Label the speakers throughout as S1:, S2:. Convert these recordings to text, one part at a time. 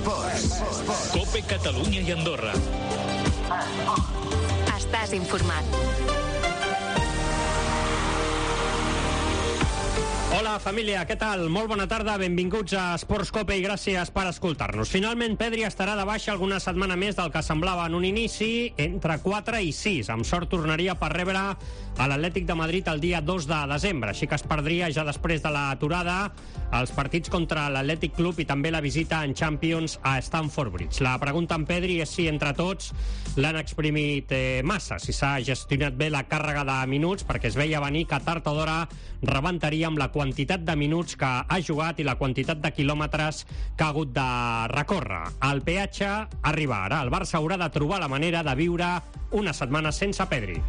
S1: COPE Catalunya i Andorra.
S2: Estàs informat.
S3: Hola, família, què tal? Molt bona tarda, benvinguts a Esports Cope i gràcies per escoltar-nos. Finalment, Pedri estarà de baixa alguna setmana més del que semblava en un inici, entre 4 i 6. Amb sort tornaria per rebre a l'Atlètic de Madrid el dia 2 de desembre, així que es perdria ja després de l'aturada els partits contra l'Atlètic Club i també la visita en Champions a Stamford Bridge. La pregunta en Pedri és si entre tots l'han exprimit massa, si s'ha gestionat bé la càrrega de minuts, perquè es veia venir que tard o d'hora rebentaria amb la quantitat de minuts que ha jugat i la quantitat de quilòmetres que ha hagut de recórrer. El peatge arriba ara. El Barça haurà de trobar la manera de viure una setmana sense Pedri.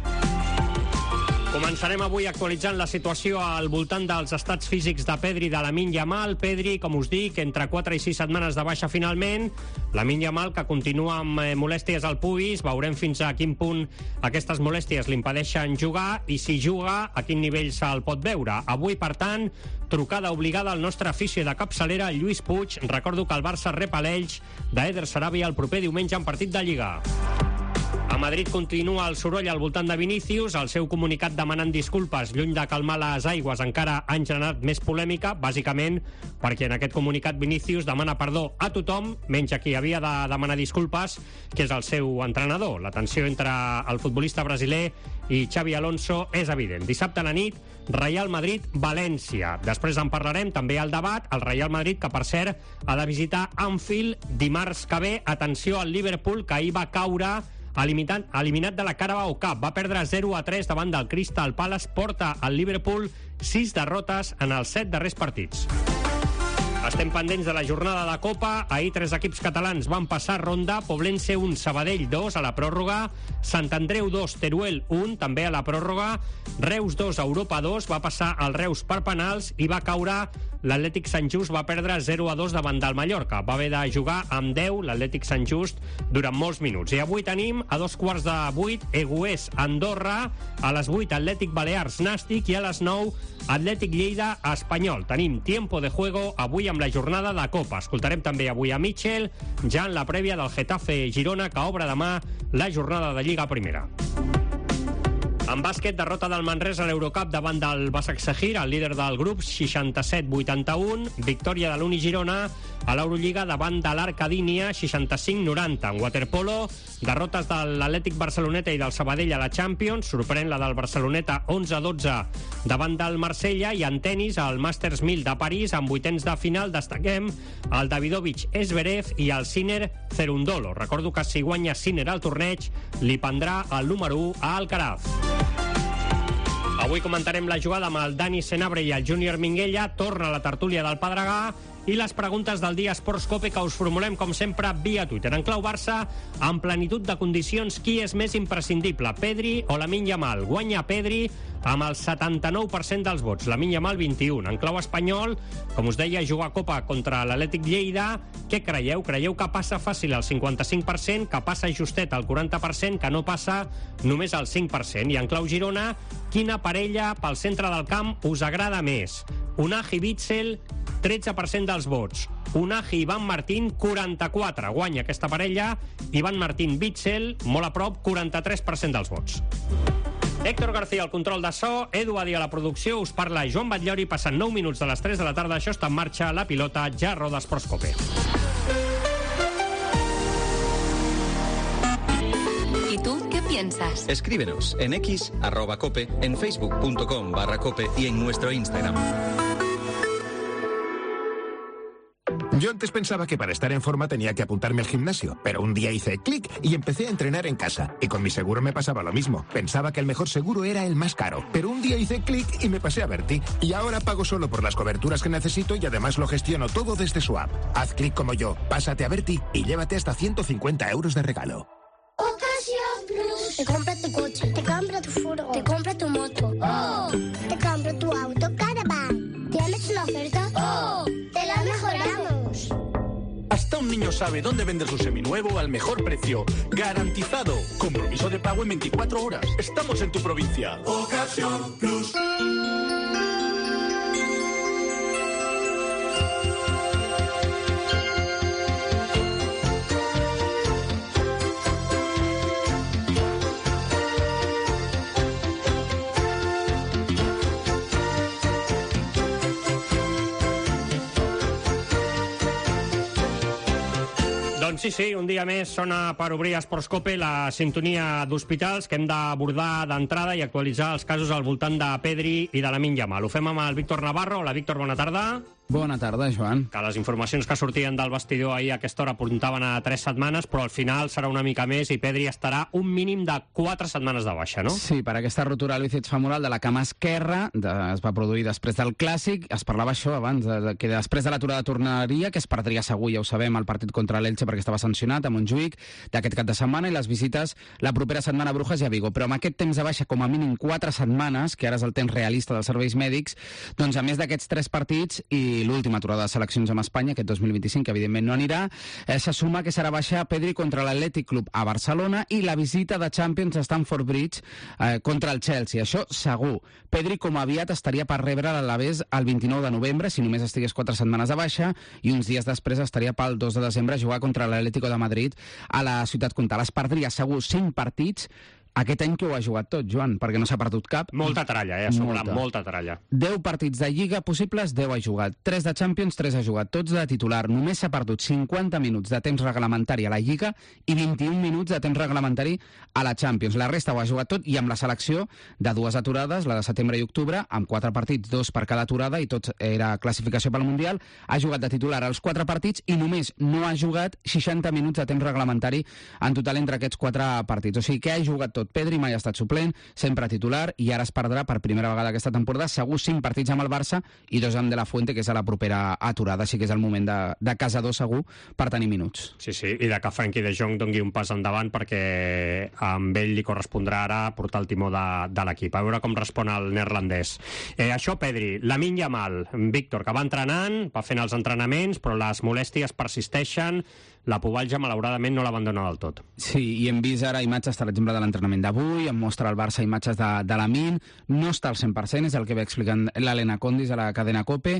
S3: Començarem avui actualitzant la situació al voltant dels estats físics de Pedri i de Lamine Yamal. Pedri, com us dic, entre 4 i 6 setmanes de baixa finalment. Lamine Yamal, que continua amb molèsties al pubis. Veurem fins a quin punt aquestes molèsties l'impedeixen jugar i si juga, a quin nivell se'l pot veure. Avui, per tant, trucada obligada al nostre afició de capçalera, Lluís Puig. Recordo que el Barça rep a l'Elx d'Eder Sarabia el proper diumenge en partit de Lliga. A Madrid continua el soroll al voltant de Vinícius. El seu comunicat demanant disculpes, lluny de calmar les aigües, encara han generat més polèmica, bàsicament perquè en aquest comunicat Vinícius demana perdó a tothom, menys a qui havia de demanar disculpes, que és el seu entrenador. La tensió entre el futbolista brasiler i Xavi Alonso és evident. Dissabte a la nit, Real Madrid-València. Després en parlarem, també al debat, el Real Madrid, que per cert ha de visitar Anfield dimarts que ve. Atenció al Liverpool, que ahir va caure eliminat de la Carabao Cup. Va perdre 0-3 davant del Crystal Palace. Porta al Liverpool 6 derrotes en els 7 darrers partits. Estem pendents de la jornada de Copa. Ahir 3 equips catalans van passar ronda. Poblense 1, Sabadell 2 a la pròrroga. Sant Andreu 2, Teruel 1 també a la pròrroga. Reus 2, Europa 2. Va passar el Reus per penals i va caure l'Atlètic Sant Just. Va perdre 0-2 davant del Mallorca. Va haver de jugar amb 10 l'Atlètic Sant Just durant molts minuts. I avui tenim a 7:15 Egués Andorra, a les 8 Atlètic Balears Nàstic i a les 9 Atlètic Lleida Espanyol. Tenim tiempo de juego avui amb la jornada de Copa. Escoltarem també avui a Mitchell, ja en la prèvia del Getafe Girona, que obre demà la jornada de Lliga Primera. En bàsquet, derrota del Manresa a l'Eurocup davant del Başakşehir, el líder del grup, 67-81. Victòria de l'Uni Girona a l'Eurolliga davant de l'Arcadínia, 65-90. En waterpolo, derrotes de l'Atlètic Barceloneta i del Sabadell a la Champions. Sorprèn la del Barceloneta 11-12 davant del Marsella. I en tenis, al Masters 1000 de París, en vuitens de final, destaquem el Davidovich Zverev i el Sinner Cerundolo. Recordo que si guanya Sinner al torneig, li prendrà el número 1 a Alcaraz. Avui comentarem la jugada amb el Dani Senabre i el Júnior Minguella. Torna a la tertúlia del Pedregà i les preguntes del dia Esports Cope, que us formulem com sempre via Twitter. En clau Barça, en plenitud de condicions, qui és més imprescindible, Pedri o Lamine Yamal? Guanya Pedri amb el 79% dels vots, Lamine Yamal 21. En clau espanyol, com us deia, jugar a Copa contra l'Atlètic Lleida. Què creieu? Creieu que passa fàcil el 55%, que passa justet el 40%, que no passa només el 5%? I en clau Girona, quina parella pel centre del camp us agrada més? Unai Witsel, 13% dels vots. Unai Ivan Martín, 44. Guanya aquesta parella. Ivan Martín Witsel, molt a prop, 43% dels vots. Héctor García al control de so, Edu Adi a la producció, us parla Joan Batllori. Passant 9 minuts de les 3 de la tarda, això està en marxa, la pilota ja roda Esports Cope.
S2: ¿Y tú qué piensas?
S4: Escríbenos en X, @cope, en facebook.com/cope y en nuestro Instagram.
S5: Yo antes pensaba que para estar en forma tenía que apuntarme al gimnasio, pero un día hice clic y empecé a entrenar en casa. Y con mi seguro me pasaba lo mismo. Pensaba que el mejor seguro era el más caro, pero un día hice clic y me pasé a Berti. Y ahora pago solo por las coberturas que necesito y además lo gestiono todo desde su app. Haz clic como yo, pásate a Berti y llévate hasta 150 euros de regalo.
S6: Ocasión Plus. Te compra tu coche, te compra tu furgo, te compra tu moto. ¡Oh! Te compra tu auto Caravan. ¿Tienes una oferta? ¡Oh! ¡Te la mejoramos!
S7: Hasta un niño sabe dónde vender su seminuevo al mejor precio. ¡Garantizado! Compromiso de pago en 24 horas. Estamos en tu provincia. Ocasión Plus.
S3: Doncs sí, un dia més sona per obrir Esports Cope la sintonia d'hospitals que hem d'abordar d'entrada i actualitzar els casos al voltant de Pedri i de Lamine Yamal. Ho fem amb el Víctor Navarro. Hola, Víctor, bona tarda.
S8: Bona tarda, Joan.
S3: Que les informacions que sortien del vestidor ahir a aquesta hora apuntaven a 3 setmanes, però al final serà una mica més i Pedri estarà un mínim de 4 setmanes de baixa, no?
S8: Sí, per aquesta rotura al bíceps femoral de la cama esquerra, es va produir després del Clàssic. Es parlava això abans, que després de l'aturada tornaria, que es perdria segur, ja ho sabem, el partit contra l'Elche perquè estava sancionat a Montjuïc d'aquest cap de setmana, i les visites la propera setmana a Brujas i a Vigo. Però amb aquest temps de baixa com a mínim 4 setmanes, que ara és el temps realista dels serveis mèdics, doncs a més d'aquests 3 partits i l'última aturada de seleccions amb Espanya, aquest 2025, que evidentment no anirà, se suma que serà baixa Pedri contra l'Atlètic Club a Barcelona i la visita de Champions a Stamford Bridge contra el Chelsea. Això segur. Pedri com aviat estaria per rebre l'Alavés el 29 de novembre, si només estigués 4 setmanes de baixa, i uns dies després estaria pel 2 de desembre a jugar contra l'Atlético de Madrid a la Ciutat Comtal. Es perdria segur 5 partits. Aquest any que ho ha jugat tot, Joan, perquè no s'ha perdut cap.
S3: Molta tralla, a sobre, molta tralla.
S8: 10 partits de Lliga possibles, 10 ha jugat. 3 de Champions, 3 ha jugat. Tots de titular. Només s'ha perdut 50 minuts de temps reglamentari a la Lliga i 21 minuts de temps reglamentari a la Champions. La resta ho ha jugat tot, i amb la selecció de 2 aturades, la de setembre i octubre, amb 4 partits, 2 per cada aturada, i tots era classificació pel Mundial. Ha jugat de titular als 4 partits i només no ha jugat 60 minuts de temps reglamentari en total entre aquests 4 partits. O sigui que ha jugat tot. Pedri mai ha estat suplent, sempre titular, i ara es perdrà per primera vegada aquesta temporada segur 5 partits amb el Barça i 2 amb De La Fuente, que és a la propera aturada. Així que és el moment de casador segur per tenir minuts.
S3: Sí, i de que Frenkie de Jong dongui un pas endavant, perquè amb ell li correspondrà ara portar el timó de l'equip. A veure com respon el neerlandès. Això, Pedri. Lamine Yamal, Víctor, que va entrenant, va fent els entrenaments, però les molèsties persisteixen. La pubalgia, malauradament, no l'abandona del tot.
S8: Sí, i hem vist ara imatges, per exemple, de l'entrenament d'avui, em mostra el Barça imatges de Lamine, no està al 100%, és el que ve explicant l'Helena Condis a la cadena COPE,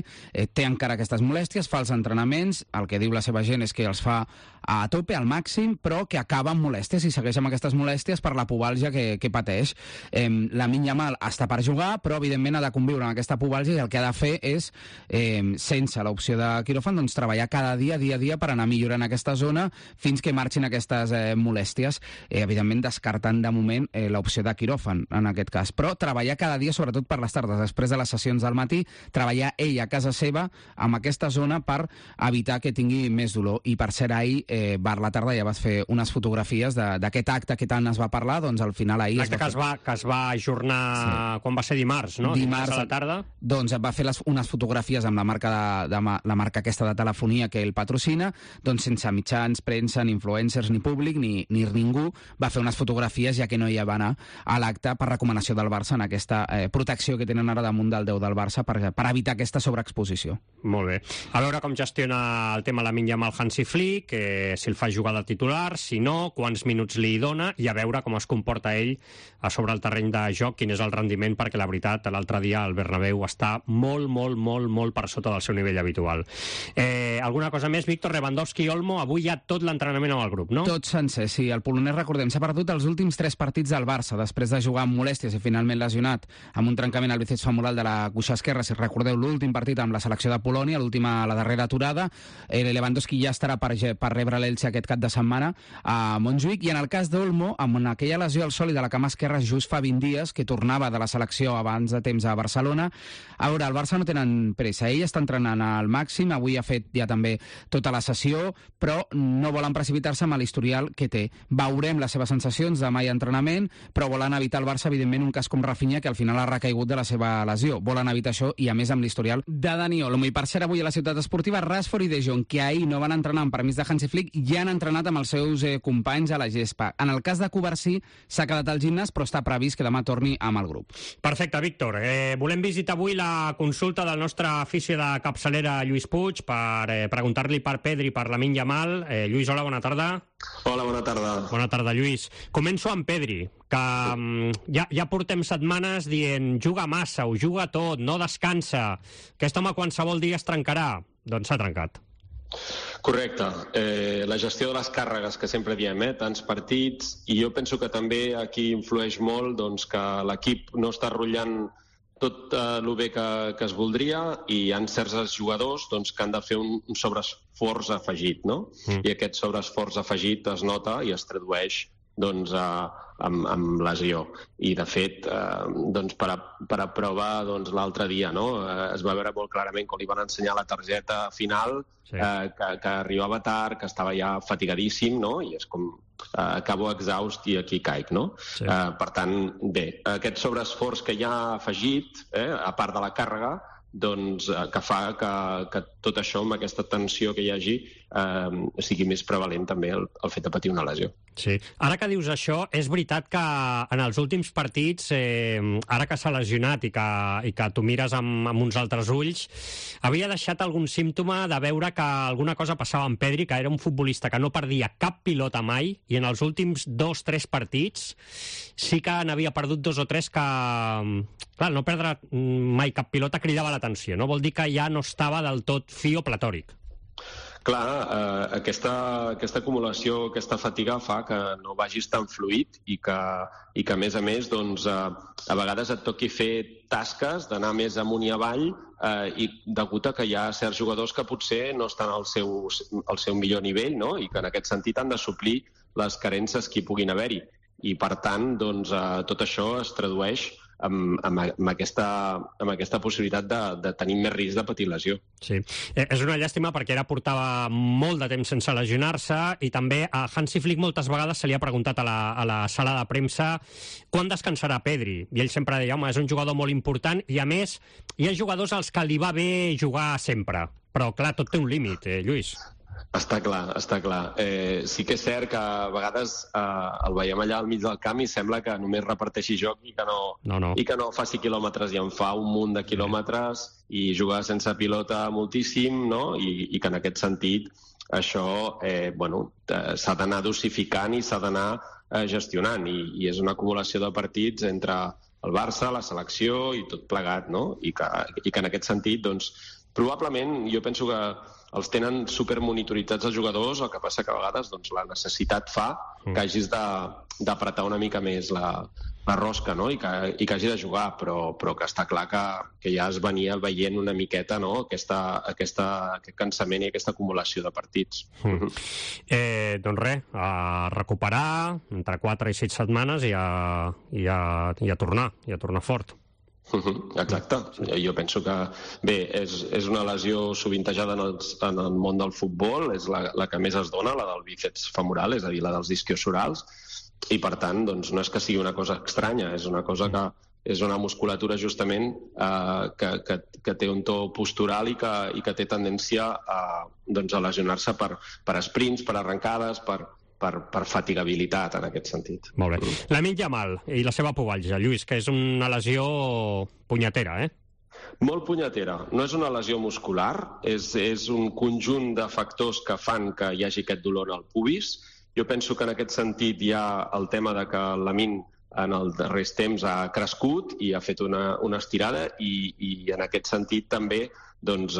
S8: té encara aquestes molèsties, fa els entrenaments, el que diu la seva gent és que els fa a tope, al màxim, però que acaba amb molèsties i segueix amb aquestes molèsties per la pubalgia que pateix. Lamine Yamal està per jugar, però evidentment ha de conviure amb aquesta pubalgia, i el que ha de fer és, sense l'opció de quiròfan, doncs treballar cada dia, dia a dia, per anar millorant aquesta zona fins que marxin aquestes molèsties, evidentment descartant de moment l'opció de quiròfan en aquest cas, però treballar cada dia, sobretot per les tardes, després de les sessions del matí, treballar ell a casa seva amb aquesta zona per evitar que tingui més dolor. I per ser ahir, per la tarda, ja vas fer unes fotografies d'aquest acte que tant es va parlar, doncs al final ahir...
S3: L'acte que es va ajornar, sí. Quan va ser dimarts, no? Dimarts a la tarda.
S8: Doncs va fer unes fotografies amb la marca aquesta de telefonia que ell patrocina, doncs sense mitjans, premsa, ni influencers, ni públic, ni ningú. Va fer unes fotografies, ja que no hi va anar a l'acte per recomanació del Barça, en aquesta protecció que tenen ara damunt del 10 del Barça per evitar aquesta sobreexposició.
S3: Molt bé. A veure com gestiona el tema Lamine Yamal Hansi Flick, si el fa jugar de titular, si no, quants minuts li dona, i a veure com es comporta ell a sobre el terreny de joc, quin és el rendiment, perquè la veritat, l'altre dia el Bernabéu està molt per sota del seu nivell habitual. Alguna cosa més, Víctor? Lewandowski i Olmo, avui ja tot l'entrenament amb el grup, no?
S8: Tot sencer, sí. El polonès, recordem, s'ha perdut els últims 3 partits del Barça, després de jugar amb molèsties i finalment lesionat amb un trencament al bíceps femoral de la cuixa esquerra. Si recordeu, l'últim partit amb la selecció de Polònia, la darrera aturada, Lewandowski ja estarà per rebre l'Elche aquest cap de setmana a Montjuïc, i en el cas d'Olmo, amb aquella lesió al sòlid de la cama esquerra just fa 20 dies, que tornava de la selecció abans de temps a Barcelona. A veure, el Barça no tenen pressa, ell està entrenant al màxim, avui ha fet ja també tota la sessió, però no volen precipitar-se amb l'historial que té. Veurem les seves sensacions demà i entrenament, però volen evitar el Barça, evidentment, un cas com Rafinha, que al final ha recaigut de la seva lesió. Volen evitar això, i a més amb l'historial de Dani Olmo. I per ser avui a la Ciutat Esportiva, Rashford i De Jong, que ahir no van entrenar amb permís de Hansi Flick, ja han entrenat amb els seus companys a la gespa. En el cas de Covarsí, s'ha quedat al gimnàs, però està previst que demà torni amb el grup.
S3: Perfecte, Víctor. Volem visitar avui la consulta del nostre afició de capçalera Lluís Puig per preguntar-li per Pedri, per Lamine Yamal. Lluís, hola, bona tarda.
S9: Hola, bona tarda.
S3: Bona tarda, Lluís. Començo amb Pedri, que ja portem setmanes dient juga massa, ho juga tot, no descansa. Aquest home qualsevol dia es trencarà. Doncs s'ha trencat.
S9: Correcte. La gestió de les càrregues que sempre diem, tants partits, i jo penso que també aquí influeix molt doncs, que l'equip no està rotllant tot el bé que es voldria, i hi ha certs jugadors doncs, que han de fer un sobreesforç afegit, no? I aquest sobreesforç afegit es nota i es tradueix doncs, amb lesió. I, de fet, doncs, per a prova doncs, l'altre dia, no? Es va veure molt clarament quan li van ensenyar la targeta final, que arribava tard, que estava ja fatigadíssim, no? I és com acabo exhaust i aquí caic, no? Per tant, bé, aquest sobreesforç que hi ha afegit, a part de la càrrega, doncs, que fa que tot això, amb aquesta tensió que hi hagi, sigui més prevalent també el fet de patir una lesió.
S3: Sí. Ara que dius això, és veritat que en els últims partits, ara que s'ha lesionat i que tu mires amb uns altres ulls, havia deixat algun símptoma de veure que alguna cosa passava amb Pedri, que era un futbolista que no perdia cap pilota mai, i en els últims 2-3 partits sí que n'havia perdut 2 o 3 que, clar, no perdre mai cap pilota cridava l'atenció, no? Vol dir que ja no estava del tot fi o platòric.
S9: Clar, aquesta acumulació, aquesta fatiga fa que no vagis tan fluid i que a més, doncs, a vegades et toqui fer tasques d'anar més amunt i avall, i degut a que hi ha certs jugadors que potser no estan al seu millor nivell, no? I que en aquest sentit han de suplir les carències que hi puguin haver-hi. I, per tant, doncs, tot això es tradueix amb aquesta possibilitat de tenir més risc de patir lesió.
S3: Sí, és una llàstima perquè ara portava molt de temps sense lesionar-se, i també a Hansi Flick moltes vegades se li ha preguntat a la sala de premsa quan descansarà Pedri, i ell sempre deia, home, és un jugador molt important, i a més hi ha jugadors als que li va bé jugar sempre, però clar, tot té un límit, Lluís.
S9: Està clar. Sí que és cert que a vegades el veiem allà al mig del camp i sembla que només reparteixi joc i que no faci quilòmetres, i en fa un munt de quilòmetres i juga sense pilota moltíssim, no? I que en aquest sentit això s'ha d'anar dosificant i s'ha d'anar gestionant, i és una acumulació de partits entre el Barça, la selecció i tot plegat, no? I que en aquest sentit, doncs, probablement jo penso que els tenen supermonitoritzats els jugadors, el que passa que a vegades doncs, la necessitat fa que hagis d'apretar una mica més la rosca, no? I que hagi de jugar, però que està clar que ja es venia veient una miqueta, no? Aquest cansament i aquesta acumulació de partits.
S3: Doncs res, a recuperar entre 4 i 6 setmanes i a tornar fort.
S9: Exacte. Jo penso que, bé, és una lesió sovintejada en el món del futbol, és la que més es dona, la del bíceps femoral, és a dir, la dels isquiosorals, i per tant, doncs, no és que sigui una cosa estranya, és una cosa que és una musculatura justament que té un to postural i que té tendència a lesionar-se per sprints, per arrencades, per fatigabilitat, en aquest sentit.
S3: Molt bé. Lamine Yamal i la seva pubalgia, Lluís, que és una lesió punyetera,
S9: Molt punyetera. No és una lesió muscular, és un conjunt de factors que fan que hi hagi aquest dolor al pubis. Jo penso que en aquest sentit hi ha el tema de que el Lamine en els darrers temps ha crescut i ha fet una estirada, i en aquest sentit també doncs,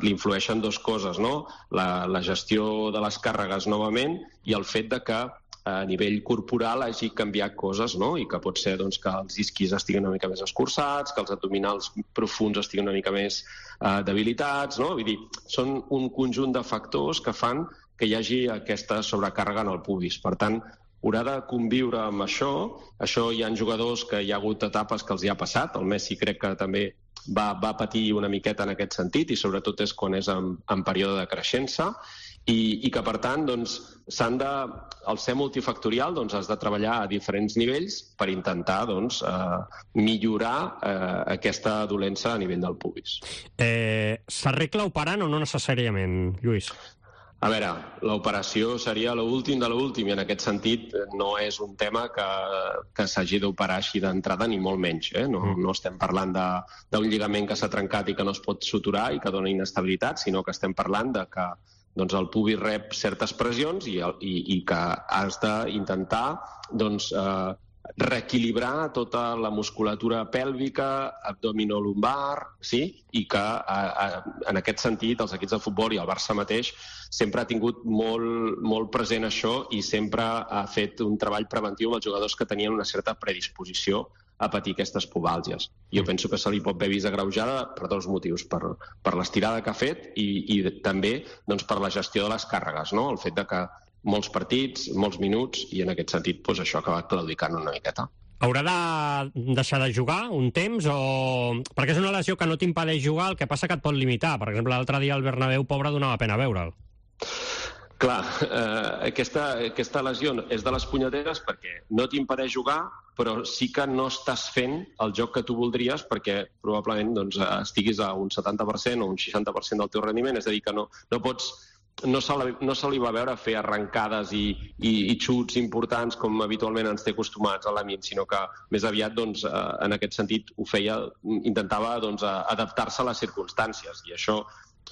S9: li influeixen dues coses, no? La gestió de les càrregues novament i el fet de que a nivell corporal hagi canviat coses, no? I que pot ser doncs, que els isquis estiguin una mica més escurçats, que els abdominals profunds estiguin una mica més debilitats, no? Vull dir, són un conjunt de factors que fan que hi hagi aquesta sobrecàrrega en el pubis. Per tant, haurà de conviure amb això. Això hi ha jugadors que hi ha hagut etapes que els hi ha passat. El Messi crec que també va patir una miqueta en aquest sentit, i sobretot és quan és en període de creixença, i que per tant doncs, al ser multifactorial has de treballar a diferents nivells per intentar millorar aquesta dolença a nivell del pubis.
S3: S'arregla operant o no necessàriament, Lluís?
S9: A veure, l'operació seria l'últim de l'últim, i en aquest sentit no és un tema que s'hagi d'operar així d'entrada, ni molt menys. No estem parlant d'un lligament que s'ha trencat i que no es pot suturar i que dona inestabilitat, sinó que estem parlant de que el pubis rep certes pressions i que has d'intentar reequilibrar tota la musculatura pèlvica, abdominolumbar, sí? I que en aquest sentit els equips de futbol i el Barça mateix sempre ha tingut molt present això, i sempre ha fet un treball preventiu amb els jugadors que tenien una certa predisposició a patir aquestes pubàlgies. Jo penso que se li pot haver vist agreujada per dos motius, per l'estirada que ha fet i també doncs, per la gestió de les càrregues, no? El fet de que molts partits, molts minuts, i en aquest sentit doncs, això ha acabat claudicant una miqueta.
S3: Haurà de deixar de jugar un temps perquè és una lesió que no t'impedeix jugar, el que passa que et pot limitar. Per exemple, l'altre dia el Bernabéu, pobre, donava pena veure'l.
S9: Clar, aquesta lesió és de les punyeteres perquè no t'impedeix jugar, però sí que no estàs fent el joc que tu voldries perquè probablement doncs, estiguis a un 70% o un 60% del teu rendiment, és a dir, que no pots... No se li va veure fer arrencades i xuts importants com habitualment ens té acostumats a l'Lamine, sinó que més aviat doncs, en aquest sentit ho feia, intentava doncs, adaptar-se a les circumstàncies, i això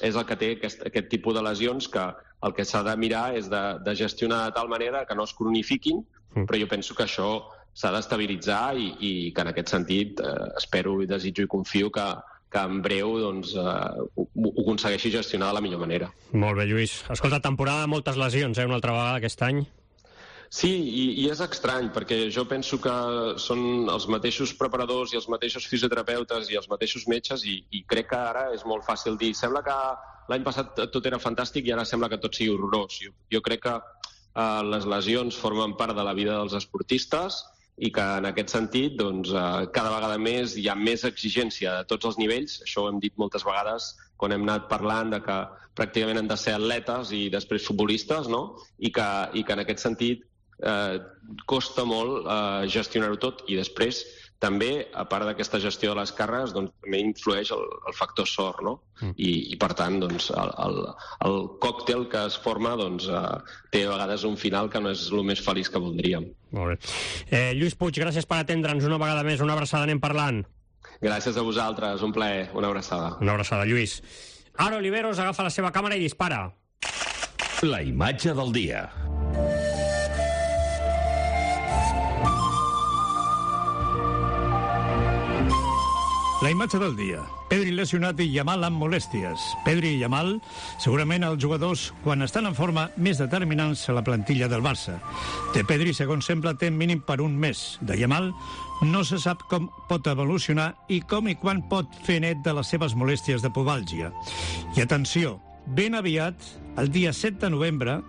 S9: és el que té aquest tipus de lesions, que el que s'ha de mirar és de gestionar de tal manera que no es cronifiquin, però jo penso que això s'ha d'estabilitzar i que en aquest sentit espero i desitjo i confio que en breu doncs, ho aconsegueixi gestionar de la millor manera.
S3: Molt bé, Lluís. Escolta, temporada de moltes lesions, una altra vegada aquest any.
S9: Sí, i és estrany, perquè jo penso que són els mateixos preparadors i els mateixos fisioterapeutes i els mateixos metges, i crec que ara és molt fàcil dir, sembla que l'any passat tot era fantàstic i ara sembla que tot sigui horrorós. Jo crec que les lesions formen part de la vida dels esportistes, i que en aquest sentit doncs, cada vegada més hi ha més exigència a tots els nivells. Això ho hem dit moltes vegades quan hem anat parlant de que pràcticament han de ser atletes i després futbolistes, no? I que en aquest sentit costa molt gestionar-ho tot, i després també, a part d'aquesta gestió de les càrregues, doncs, també influeix el factor sort, no? I per tant, doncs, el còctel que es forma doncs, té a vegades un final que no és el més feliç que voldríem.
S3: Molt bé. Lluís Puig, gràcies per atendre'ns una vegada més. Una abraçada, anem parlant.
S9: Gràcies a vosaltres, un plaer. Una abraçada.
S3: Una abraçada, Lluís. Ara Oliveros agafa la seva càmera i dispara.
S1: La imatge del dia.
S10: La imatge del dia. Pedri lesionat i Yamal amb molèsties. Pedri i Yamal, segurament els jugadors, quan estan en forma, més determinants a la plantilla del Barça. De Pedri, segons sembla, té mínim per un mes. De Yamal, no se sap com pot evolucionar i com i quan pot fer net de les seves molèsties de pubàlgia. I atenció, ben aviat, el dia 7 de novembre,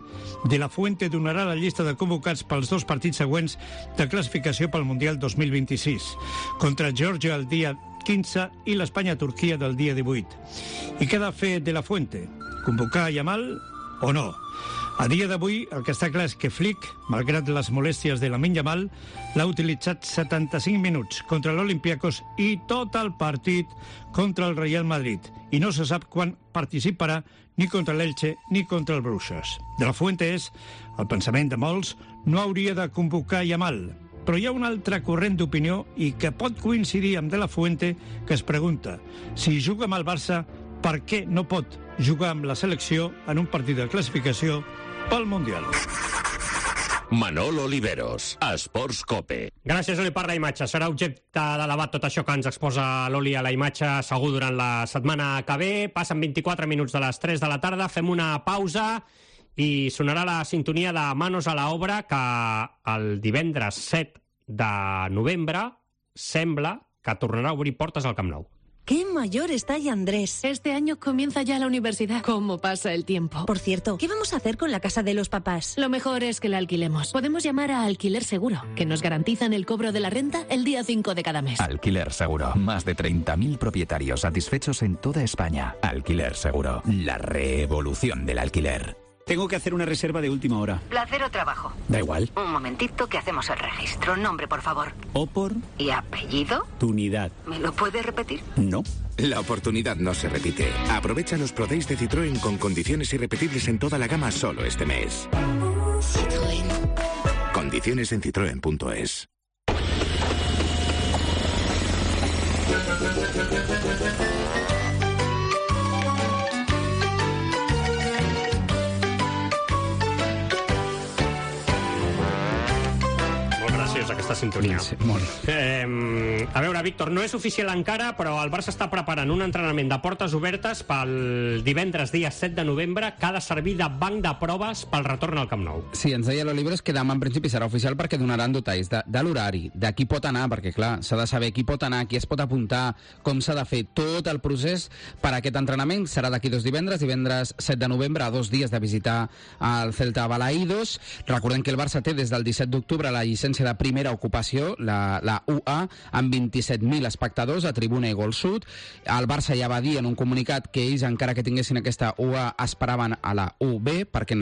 S10: De La Fuente donarà la llista de convocats pels dos partits següents de classificació pel Mundial 2026, contra Geòrgia el dia 15 i l'Espanya-Turquia del dia 18. I què ha de fer De La Fuente? Convocar Yamal o no? A dia d'avui, el que està clar és que Flick, malgrat les molèsties de Lamine Yamal, l'ha utilitzat 75 minuts contra l'Olympiacos i tot el partit contra el Real Madrid. I no se sap quan participarà ni contra l'Elche ni contra el Bruixes. De La Fuente és, el pensament de molts, no hauria de convocar Yamal. Però hi ha un altre corrent d'opinió i que pot coincidir amb De La Fuente, que es pregunta si juga amb el Barça, per què no pot jugar amb la selecció en un partit de classificació pel Mundial.
S1: Manol Oliveros, Esports Cope.
S3: Gràcies, Oli, per la imatge. Serà objecte de debat tot això que ens exposa l'Oli a la imatge segur durant la setmana que ve. Passen 24 minuts de les 3 de la tarda, fem una pausa i sonarà la sintonia de Manos a la Obra, que el divendres 7 de novembre sembla que tornarà a obrir portes al Camp Nou.
S11: ¡Qué mayor está ya Andrés!
S2: Este año comienza ya la universidad. ¿Cómo pasa el tiempo?
S11: Por cierto, ¿qué vamos a hacer con la casa de los papás?
S2: Lo mejor es que la alquilemos. Podemos llamar a Alquiler Seguro, que nos garantizan el cobro de la renta el día 5 de cada mes.
S12: Alquiler Seguro. Más de 30.000 propietarios satisfechos en toda España. Alquiler Seguro. La revolución del alquiler.
S13: Tengo que hacer una reserva de última hora.
S14: ¿Placer o trabajo?
S13: Da igual.
S14: Un momentito que hacemos el registro. Nombre, por favor.
S13: Opor.
S14: ¿Y apellido?
S13: Tunidad.
S14: ¿Me lo puede repetir?
S13: No.
S15: La oportunidad no se repite. Aprovecha los Pro Days de Citroën con condiciones irrepetibles en toda la gama solo este mes. Citroën. Condiciones en citroen.es.
S3: aquesta sintonia.
S8: Sí, molt.
S3: A veure, Víctor, no és oficial encara, però el Barça està preparant un entrenament de portes obertes pel divendres, dia 7 de novembre, que ha de servir de banc de proves pel retorn al Camp Nou.
S8: Sí, ens deia l'Oliveros que demà en principi serà oficial perquè donaran detalls de l'horari, de qui pot anar, perquè clar, s'ha de saber qui pot anar, qui es pot apuntar, com s'ha de fer tot el procés per a aquest entrenament. Serà d'aquí 2 divendres, divendres 7 de novembre, a 2 dies de visitar el Celta Balaídos. Recordem que el Barça té des del 17 d'octubre la llicència de primera ocupació, la UA, amb 27.000 espectadors a Tribuna i Gol Sud. El Barça ja va dir en un comunicat que ells, encara que tinguessin aquesta UA, esperaven a la UB, perquè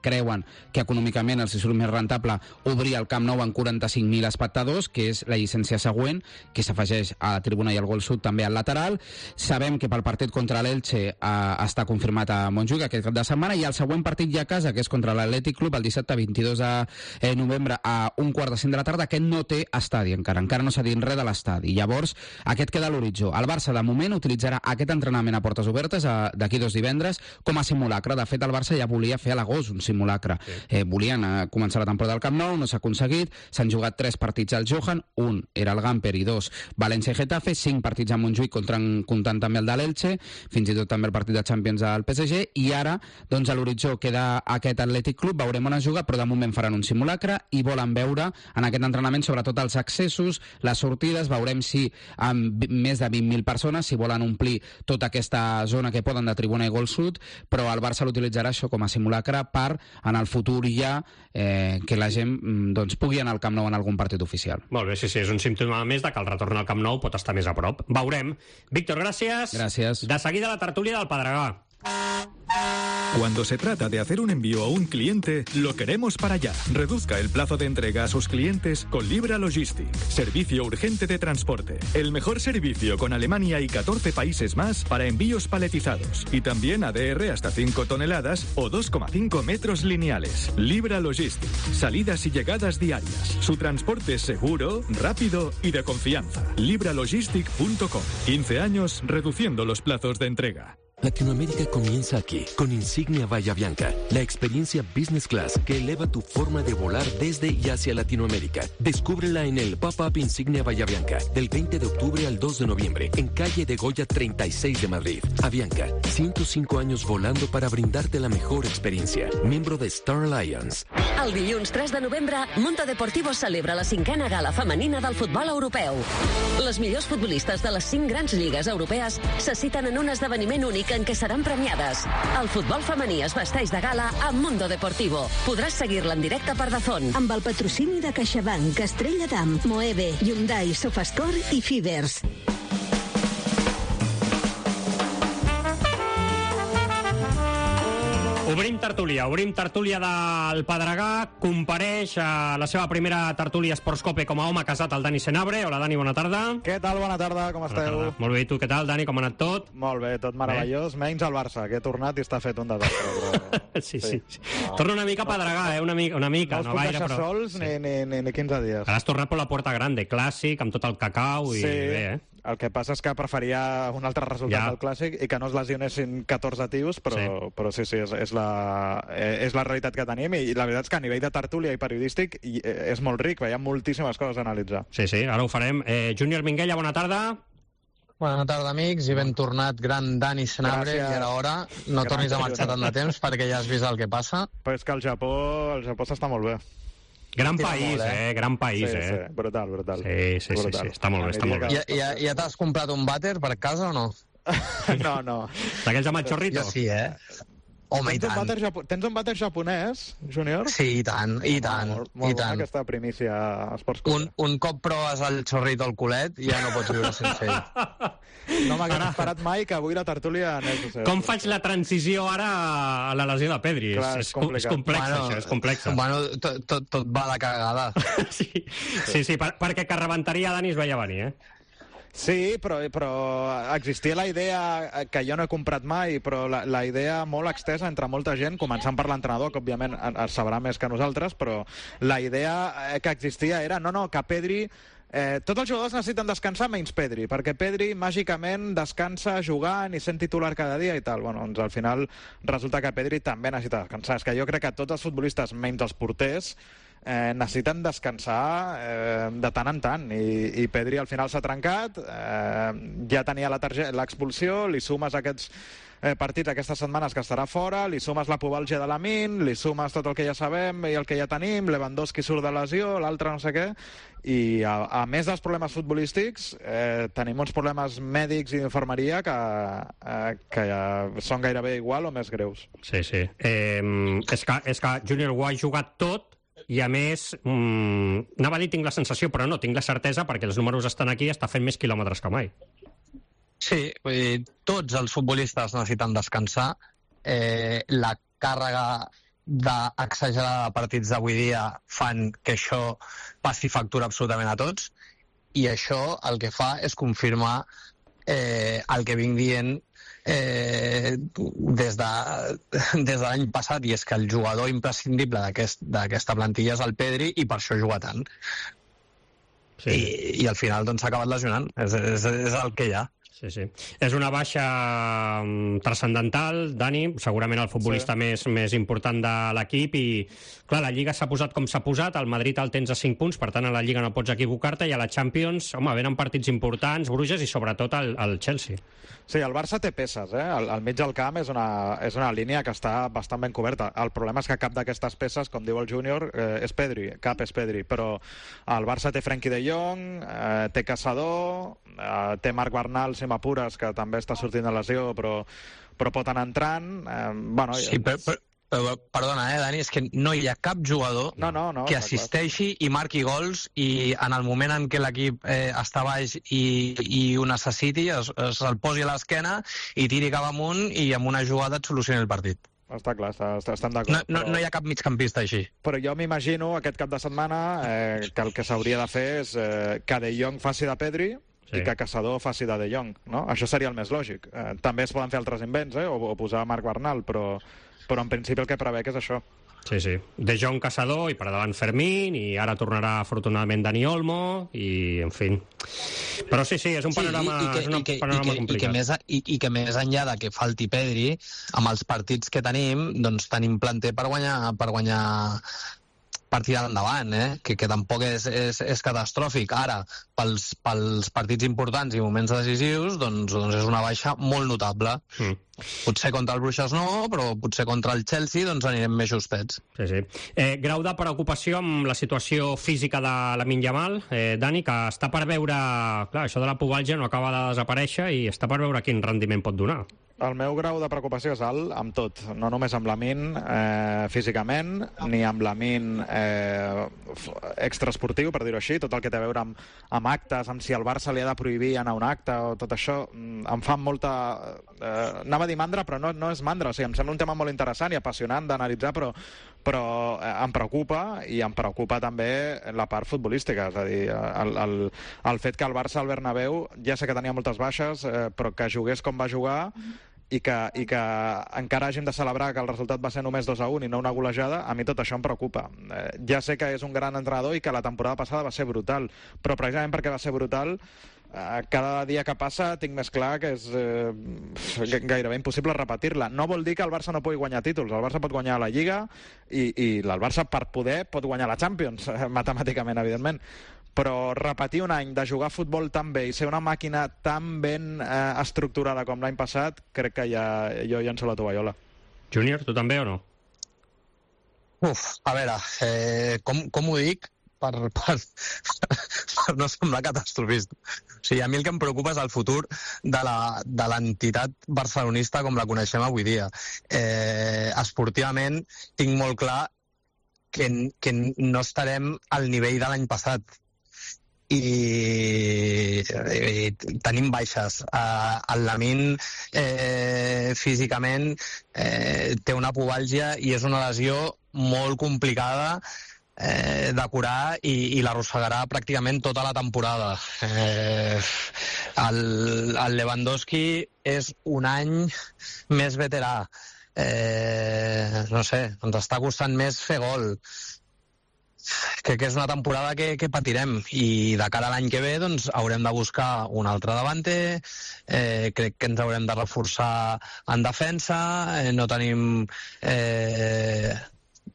S8: creuen que econòmicament els surt més rentable obrir el Camp Nou amb 45.000 espectadors, que és la llicència següent, que s'afegeix a la Tribuna i al Gol Sud també al lateral. Sabem que pel partit contra l'Elche està confirmat a Montjuïc aquest cap de setmana, i el següent partit ja a casa, que és contra l'Atlètic Club, el dissabte 22 de novembre a 1:45 de la tarda, aquest no té estadi encara no s'ha dit res de l'estadi. Llavors, aquest queda a l'horitzó. El Barça, de moment, utilitzarà aquest entrenament a portes obertes d'aquí 2 divendres com a simulacre. De fet, el Barça ja volia fer a l'agost un simulacre. Sí. Volien començar la temporada al Camp Nou, no s'ha aconseguit. S'han jugat 3 partits al Johan, un era el Gamper i 2 València i Getafe, 5 partits a Montjuïc, comptant també el de l'Elche, fins i tot també el partit de Champions al PSG, i ara, doncs, a l'horitzó queda aquest Atlètic Club, veurem on es juga, però de moment faran un simulacre i volen veure en aquest entrenament sobretot els accessos, les sortides, veurem si amb més de 20.000 persones, si volen omplir tota aquesta zona que poden de Tribuna i Gol Sud, però el Barça l'utilitzarà això com a simulacre per, en el futur ja, que la gent doncs, pugui anar al Camp Nou en algun partit oficial.
S3: Molt bé, sí, és un símptoma més de que el retorn al Camp Nou pot estar més a prop. Veurem. Víctor, gràcies.
S8: Gràcies.
S3: De seguida la tertúlia del Pedregà.
S16: Cuando se trata de hacer un envío a un cliente, lo queremos para allá. Reduzca el plazo de entrega a sus clientes con Libra Logistic. Servicio urgente de transporte. El mejor servicio con Alemania y 14 países más para envíos paletizados. Y también ADR hasta 5 toneladas o 2,5 metros lineales. Libra Logistic. Salidas y llegadas diarias. Su transporte es seguro, rápido y de confianza. libralogistic.com. 15 años reduciendo los plazos de entrega.
S17: Latinoamérica comienza aquí, con Insignia Bahía Bianca, la experiencia Business Class que eleva tu forma de volar desde y hacia Latinoamérica. Descúbrela en el Pop-Up Insignia Bahía Bianca, del 20 de octubre al 2 de noviembre, en calle de Goya 36 de Madrid. Avianca, 105 años volando para brindarte la mejor experiencia. Miembro de Star Alliance.
S18: El dilluns 3 de novembre, Mundo Deportivo celebra la 5a gala femenina del futbol europeu. Les millors futbolistes de les 5 grans lligues europees se citen en un esdeveniment únic en què seran premiades. El futbol femení es vesteix de gala amb Mundo Deportivo. Podràs seguir-la en directe per Dazón.
S11: Amb el patrocini de CaixaBank, Estrella Damm, Moeve, Hyundai, Sofascore i Fibers.
S3: Obrim tertúlia del Pedregà. Compareix a la seva primera tertúlia Esportscope com a home casat el Dani Senabre. Hola, Dani, bona tarda.
S19: Què tal? Bona tarda, com esteu?
S3: Molt bé, i tu què tal, Dani? Com ha anat tot?
S19: Molt bé, tot meravellós. Menys el Barça, que he tornat i està fet un desastre. Però...
S3: sí. Torna una mica a Pedregà, una mica.
S19: No us puc deixar sols ni 15 dies.
S3: Ara has tornat per la Porta Grande, clàssic, amb tot el cacau i bé,
S19: El que passa és que preferia un altre resultat del Clàssic i que no es lesionessin 14 tios, però sí, és la realitat que tenim, i la veritat és que a nivell de tertúlia i periodístic és molt ric, hi ha moltíssimes coses a analitzar.
S3: Sí, ara ho farem. Júnior Minguella, bona tarda.
S20: Bona tarda, amics, i ben tornat, gran Dani Senabre, i ara hora no tornis a marxar tant de temps perquè ja has vist el que passa.
S19: Però és que el Japó s'està molt bé.
S3: Gran país, gran país,
S19: Sí, brutal.
S3: Sí, està molt bé.
S20: Ja t'has comprat un vàter per casa o no?
S19: No.
S3: D'aquells amb el xorrito?
S20: Jo sí, Home, i tant.
S19: Tens un vàter japonès, Júnior?
S20: Sí, i tant.
S19: Molt bona aquesta primícia Esportscope.
S20: Un cop proves el xorrito al culet, ja no pots viure sense ell.
S19: No m'hagués esperat mai que avui la tertúlia anés.
S3: Com faig la transició ara a la lesió de Pedri?
S19: Clar, és complicat.
S3: És complex.
S20: Bueno, tot va de cagada.
S3: Sí, perquè que rebentaria Dani es veia venir,
S19: Sí, però existia la idea, que jo no he comprat mai, però la idea molt extesa entre molta gent, començant per l'entrenador, que òbviament es sabrà més que nosaltres, però la idea que existia era, que Pedri... tots els jugadors necessiten descansar menys Pedri, perquè Pedri màgicament descansa jugant i sent titular cada dia i tal. Bueno, doncs al final resulta que Pedri també necessita descansar. És que jo crec que tots els futbolistes, menys els porters, necessiten descansar de tant en tant, i Pedri al final s'ha trencat, ja tenia l'expulsió, li sumes aquests partits aquestes setmanes que estarà fora, li sumes la pubalgia de Lamine, li sumes tot el que ja sabem i el que ja tenim, Lewandowski surt de lesió, l'altre no sé què, i a més dels problemes futbolístics tenim uns problemes mèdics i d'infermeria que ja són gairebé igual o més greus.
S3: Sí. És que Júnior ho ha jugat tot, i a més, anava a dir tinc la sensació, però no, tinc la certesa, perquè els números estan aquí i està fent més quilòmetres que mai.
S20: Sí, vull dir, tots els futbolistes necessiten descansar. La càrrega d'exagerada de partits d'avui dia fan que això passi factura absolutament a tots, i això el que fa és confirmar el que vinc dient des de l'any passat, i és que el jugador imprescindible d'aquesta plantilla és el Pedri, i per això juga tant. Sí. I al final doncs s'ha acabat lesionant, és el que hi ha.
S3: Sí. És una baixa transcendental, Dani, segurament el futbolista més important de l'equip, i clar, la Lliga s'ha posat com s'ha posat, el Madrid el tens a 5 punts, per tant a la Lliga no pots equivocar-te, i a la Champions, home, venen partits importants, Bruges i sobretot el Chelsea.
S19: Sí, el Barça té peces, al mig del camp és una línia que està bastant ben coberta. El problema és que cap d'aquestes peces, com diu el Júnior, és Pedri, però el Barça té Frenkie de Jong, té Caçador, té Marc Bernal, si m'apures, que també està sortint de lesió, però pot anar entrant.
S20: Sí, però perdona, Dani, és que no hi ha cap jugador que assisteixi i marqui gols, i en el moment en què l'equip està baix i ho necessiti, se'l posi a l'esquena i tiri cap amunt i amb una jugada et solucioni el partit.
S19: Està clar, estem d'acord.
S20: No hi ha cap migcampista així.
S19: Però jo m'imagino aquest cap de setmana que el que s'hauria de fer és que De Jong faci de Pedri, i que Caçador faci de Jong, no? Això seria el més lògic. També es poden fer altres invents, o posar Marc Bernal, però en principi el que prevec és això.
S3: Sí. De Jong, Caçador, i per davant Fermín, i ara tornarà afortunadament Dani Olmo, i en fi. Però sí, és un panorama complicat.
S20: I que més enllà de que falti Pedri, amb els partits que tenim, doncs tenim planter per guanyar partida endavant, que tampoc és catastròfic. Ara, pels partits importants i moments decisius, doncs és una baixa molt notable. Potser contra el Bruixes no, però potser contra el Chelsea doncs anirem més justets.
S3: Sí. Grau de preocupació amb la situació física de Lamine Yamal, Dani, que està per veure... Clar, això de la pubalgia no acaba de desaparèixer i està per veure quin rendiment pot donar.
S19: El meu grau de preocupació és alt amb tot, no només amb Lamine físicament, ni amb Lamine extraesportiu, per dir-ho així, tot el que té a veure amb actes, amb si el Barça li ha de prohibir anar a un acte, o tot això em fa molta... anava a dir mandra, però no és mandra, o sigui, em sembla un tema molt interessant i apassionant d'analitzar, però em preocupa, i em preocupa també la part futbolística, és a dir, el fet que el Barça al Bernabéu, ja sé que tenia moltes baixes, però que jugués com va jugar, i que encara hàgim de celebrar que el resultat va ser només 2-1 i no una golejada, a mi tot això em preocupa. Ja sé que és un gran entrenador i que la temporada passada va ser brutal, però precisament perquè va ser brutal, cada dia que passa tinc més clar que és gairebé impossible repetir-la. No vol dir que el Barça no pugui guanyar títols, el Barça pot guanyar la Lliga i el Barça per poder pot guanyar la Champions, matemàticament, evidentment, però repetir un any de jugar a futbol tan bé i ser una màquina tan ben estructurada com l'any passat, crec que jo llenço la tovallola.
S3: Júnior, tu també o no?
S20: A veure, com ho dic? Per no semblar catastrofista. O sigui, a mi el que em preocupa és el futur de l'entitat barcelonista com la coneixem avui dia. Esportivament tinc molt clar que no estarem al nivell de l'any passat. I tenim baixes. El Lamine físicament té una pubalgia i és una lesió molt complicada de curar i l'arrossegarà pràcticament tota la temporada. El Lewandowski és un any més veterà. No sé, ens està costant més fer gol. Crec que és una temporada que patirem, i de cara a l'any que ve doncs haurem de buscar un altre davanter. Crec que ens haurem de reforçar en defensa. No tenim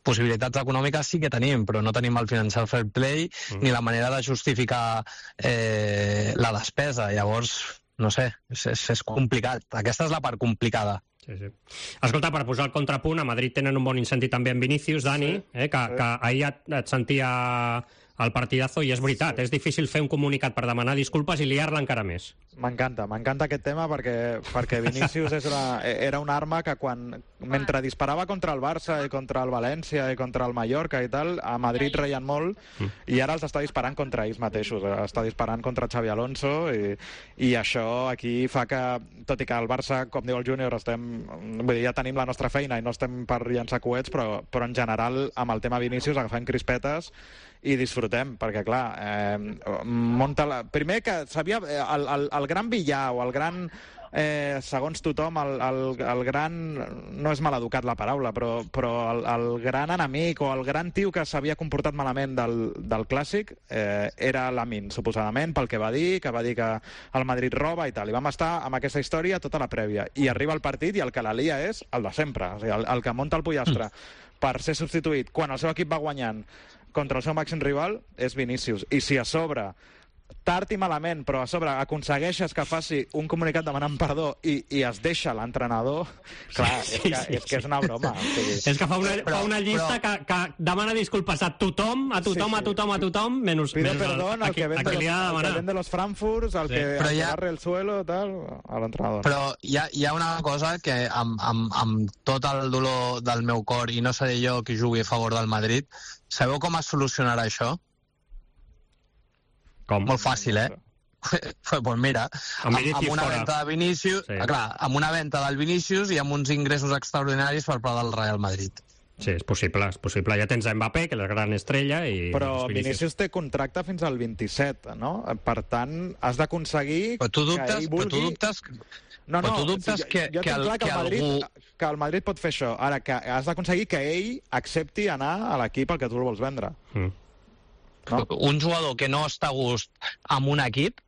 S20: possibilitats econòmiques sí que tenim, però no tenim el financial fair play ni la manera de justificar la despesa. Llavors, no sé, és complicat. Aquesta és la part complicada.
S3: Sí. Escolta, per posar el contrapunt, a Madrid tenen un bon incentiu també en Vinícius, Dani, que ahir et sentia al partidazo, i és veritat, és difícil fer un comunicat per demanar disculpes i liar-la encara més.
S19: M'encanta aquest tema perquè Vinícius era una arma que mentre disparava contra el Barça i contra el València i contra el Mallorca i tal, a Madrid reien molt i ara els està disparant contra ells mateixos, està disparant contra Xavi Alonso i això aquí fa que, tot i que el Barça, com diu el Júnior, ja tenim la nostra feina i no estem per llançar coets, però en general amb el tema Vinícius agafem crispetes i disfrutem, perquè clar, primer que sabia el gran villà o el gran, segons tothom, el gran, no és maleducat la paraula, però el gran enemic o el gran tio que s'havia comportat malament del Clàssic era Lamine, suposadament, pel que va dir que el Madrid roba i tal, i vam estar amb aquesta història tota la prèvia, i arriba el partit i el que la lia és el de sempre, o sigui, el que munta el pollastre per ser substituït quan el seu equip va guanyant contra el seu màxim rival és Vinícius. I si a sobre, tard i malament, però a sobre aconsegueixes que faci un comunicat demanant perdó i es deixa l'entrenador, clar, és que és una broma.
S3: És que fa una llista que demana disculpes a tothom, menys
S19: pide perdón
S3: al que
S19: vende los Frankfurts, al que barre el suelo, tal, a l'entrenador.
S20: Però hi ha una cosa que amb tot el dolor del meu cor, i no seré jo qui jugui a favor del Madrid, sabeu com es solucionarà això?
S3: Com?
S20: Molt fàcil, Pues mira, amb una venda de Vinícius, clar, amb una venda del Vinícius i amb uns ingressos extraordinaris per part del Real Madrid.
S3: Sí, és possible. Ja tens Mbappé, que és la gran estrella, i...
S19: Però Vinícius té contracte fins al 27, no? Per tant, has d'aconseguir que ell vulgui...
S20: Però tu dubtes que
S19: el Madrid pot fer això. Ara, que has d'aconseguir que ell accepti anar a l'equip al que tu el vols vendre.
S20: No? Un jugador que no està a gust amb un equip,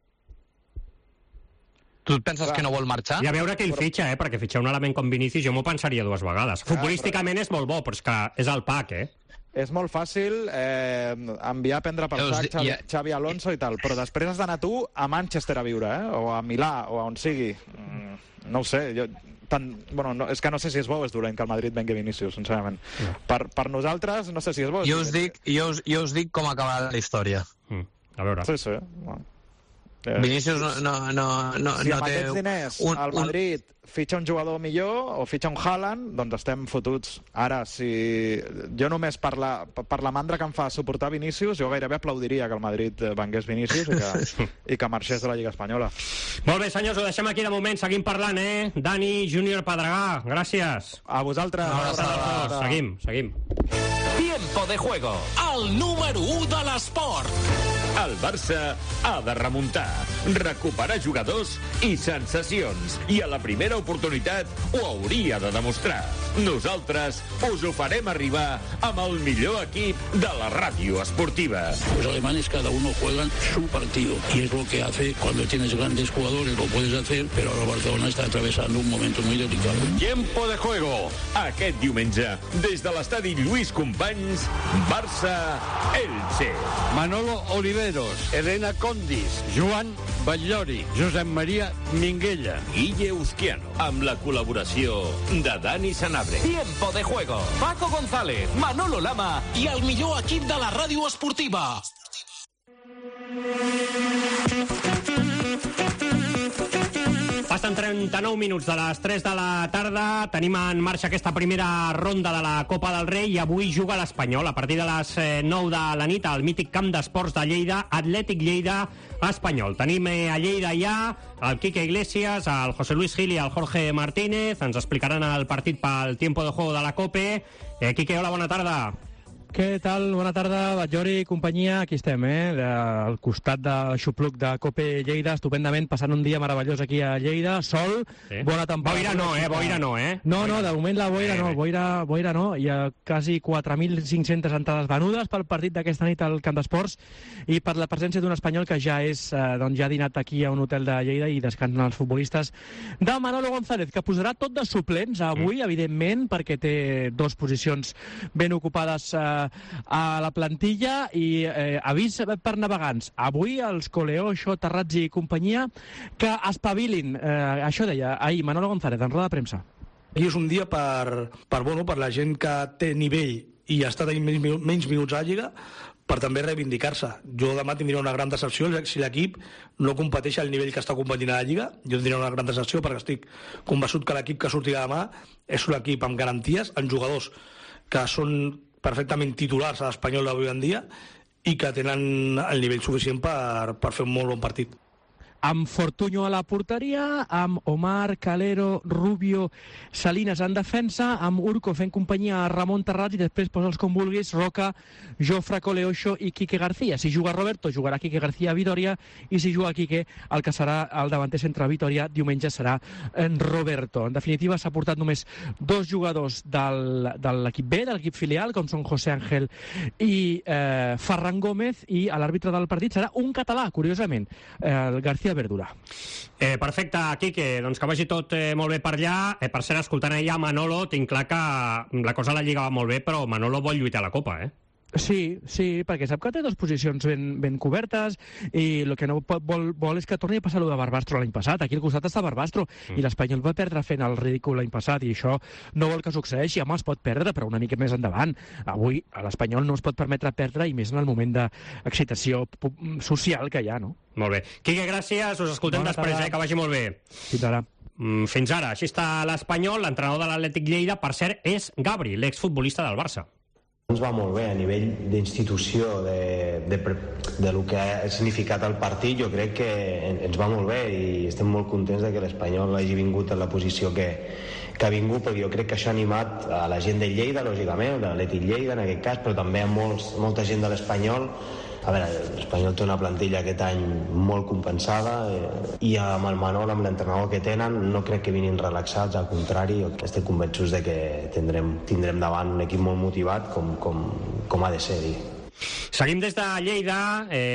S20: tu et penses que no vol marxar?
S3: I a veure què ell fitxa, perquè fitxar un element com Vinícius jo m'ho pensaria dues vegades. Futbolísticament és molt bo, però és que és el pack,
S19: És molt fàcil enviar a prendre per sac Xavi Alonso i tal, però després has d'anar tu a Manchester a viure, o a Milà, o a on sigui. No ho sé, és que no sé si és bo o és dolent que el Madrid vengui Vinícius, sincerament. Per nosaltres, no sé si és bo.
S20: Jo us dic com acabarà la història.
S3: A veure.
S19: Sí.
S20: Vinícius no
S19: si amb
S20: té...
S19: aquests diners el Madrid fitxa un jugador millor o fitxa un Haaland, doncs estem fotuts. Ara, si jo només per la mandra que em fa suportar Vinícius, jo gairebé aplaudiria que el Madrid vengués Vinícius i que marxés de la Lliga Espanyola.
S3: Molt bé, senyors, ho deixem aquí de moment. Seguim parlant, Dani, Júnior, Pedregà, gràcies.
S19: A vosaltres.
S3: Seguim.
S1: Tiempo de juego.
S7: El número 1 de l'esport.
S1: El Barça ha de remuntar, recuperar jugadors i sensacions, i a la primera oportunitat ho hauria de demostrar. Nosaltres us ho farem arribar amb el millor equip de la ràdio esportiva.
S21: Los alemanes cada uno juegan su partido y es lo que hace cuando tienes grandes jugadores, lo puedes hacer, pero ahora Barcelona está atravesando un momento muy delicado.
S1: Tiempo de juego. Aquest diumenge, des de l'estadi Lluís Companys, Barça-Elche.
S22: Manolo Oliveros, Elena Condis, Joan Batllori, Josep Maria Minguella,
S1: Guille Uzquiano, amb la col·laboració de Dani Sanabria.
S7: Tiempo de juego. Paco González, Manolo Lama i el millor equip de la ràdio esportiva.
S3: Passen 39 minuts de les 3 de la tarda. Tenim en marxa aquesta primera ronda de la Copa del Rei i avui juga l'Espanyol a partir de les 9 de la nit al mític camp d'esports de Lleida, Atlètic Lleida Espanyol. Tenim a Lleida ja el Quique Iglesias, el José Luis Gil i el Jorge Martínez. Ens explicaran el partit pel tiempo de juego de la COPE. Quique, hola, bona tarda.
S4: Què tal? Bona tarda, Batllori i companyia. Aquí estem, al costat del xupluc de Cope Lleida, estupendament, passant un dia meravellós aquí a Lleida. Sol, bona temporada.
S3: Boira no.
S4: No, de moment la boira no, boira no. Hi ha quasi 4.500 entrades venudes pel partit d'aquesta nit al Camp d'Esports i per la presència d'un espanyol que ja ha dinat aquí a un hotel de Lleida i descansen els futbolistes de Manolo González, que posarà tot de suplents avui, evidentment, perquè té 2 posicions ben ocupades a la plantilla i avís per navegants. Avui els Coleoxo, Terrazzi i companyia que espavilin. Això deia ahir Manolo González en roda de premsa.
S5: I és un dia per la gent que té nivell i està tenint menys minuts a la Lliga, per també reivindicar-se. Jo demà tindria una gran decepció si l'equip no competeix al nivell que està competint a la Lliga. Jo tindria una gran decepció perquè estic convençut que l'equip que sortirà demà és un equip amb garanties, amb jugadors que són perfectament titulars a l'Espanyol d'avui en dia i que tenen el nivell suficient per fer un molt bon partit.
S4: Amb Fortuño a la porteria, amb Omar, Calero, Rubio, Salinas en defensa, amb Urco fent companyia a Ramon Terrat i després posa'ls com vulguis, Roca, Jofre, Coleoxo i Quique García. Si juga Roberto, jugarà Quique García a Vitoria i si juga Quique, el que serà el davanter centre a Vitoria diumenge serà en Roberto. En definitiva, s'ha portat només 2 jugadors de l'equip B, de l'equip filial, com són José Ángel i Ferran Gómez, i l'àrbitre del partit serà un català, curiosament, el García Verdura.
S3: Perfecte, Quique, doncs que vagi tot molt bé per allà. Per cert, escoltant allà Manolo, tinc clar que la cosa a la Lliga va molt bé, però Manolo vol lluitar a la Copa,
S4: Sí, perquè sap que té 2 posicions ben cobertes i el que no vol és que torni a passar allò de Barbastro l'any passat. Aquí al costat està Barbastro i l'Espanyol va perdre fent el ridícul l'any passat i això no vol que succeeixi. Home, es pot perdre, però una mica més endavant. Avui l'Espanyol no es pot permetre perdre i més en el moment d'excitació social que hi ha, no?
S3: Molt bé. Quique, gràcies. Us escoltem després, que vagi molt bé.
S4: Fins ara.
S3: Fins ara. Així està l'Espanyol. L'entrenador de l'Atlètic Lleida, per cert, és Gabri, l'exfutbolista del Barça.
S23: Ens va molt bé a nivell d'institució, de lo que ha significat el partit. Jo crec que ens va molt bé i estem molt contents de que l'Espanyol hagi vingut en la posició que ha vingut, perquè jo crec que això ha animat a la gent de Lleida, lògicament, de l'Atlètic Lleida en aquest cas, però també a molta gent de l'Espanyol. A veure, l'Espanyol té una plantilla aquest any molt compensada i amb el Manol, amb l'entrenador que tenen, no crec que vinguin relaxats, al contrari, estic convençuts de que tindrem davant un equip molt motivat com ha de ser.
S3: Seguim des de Lleida.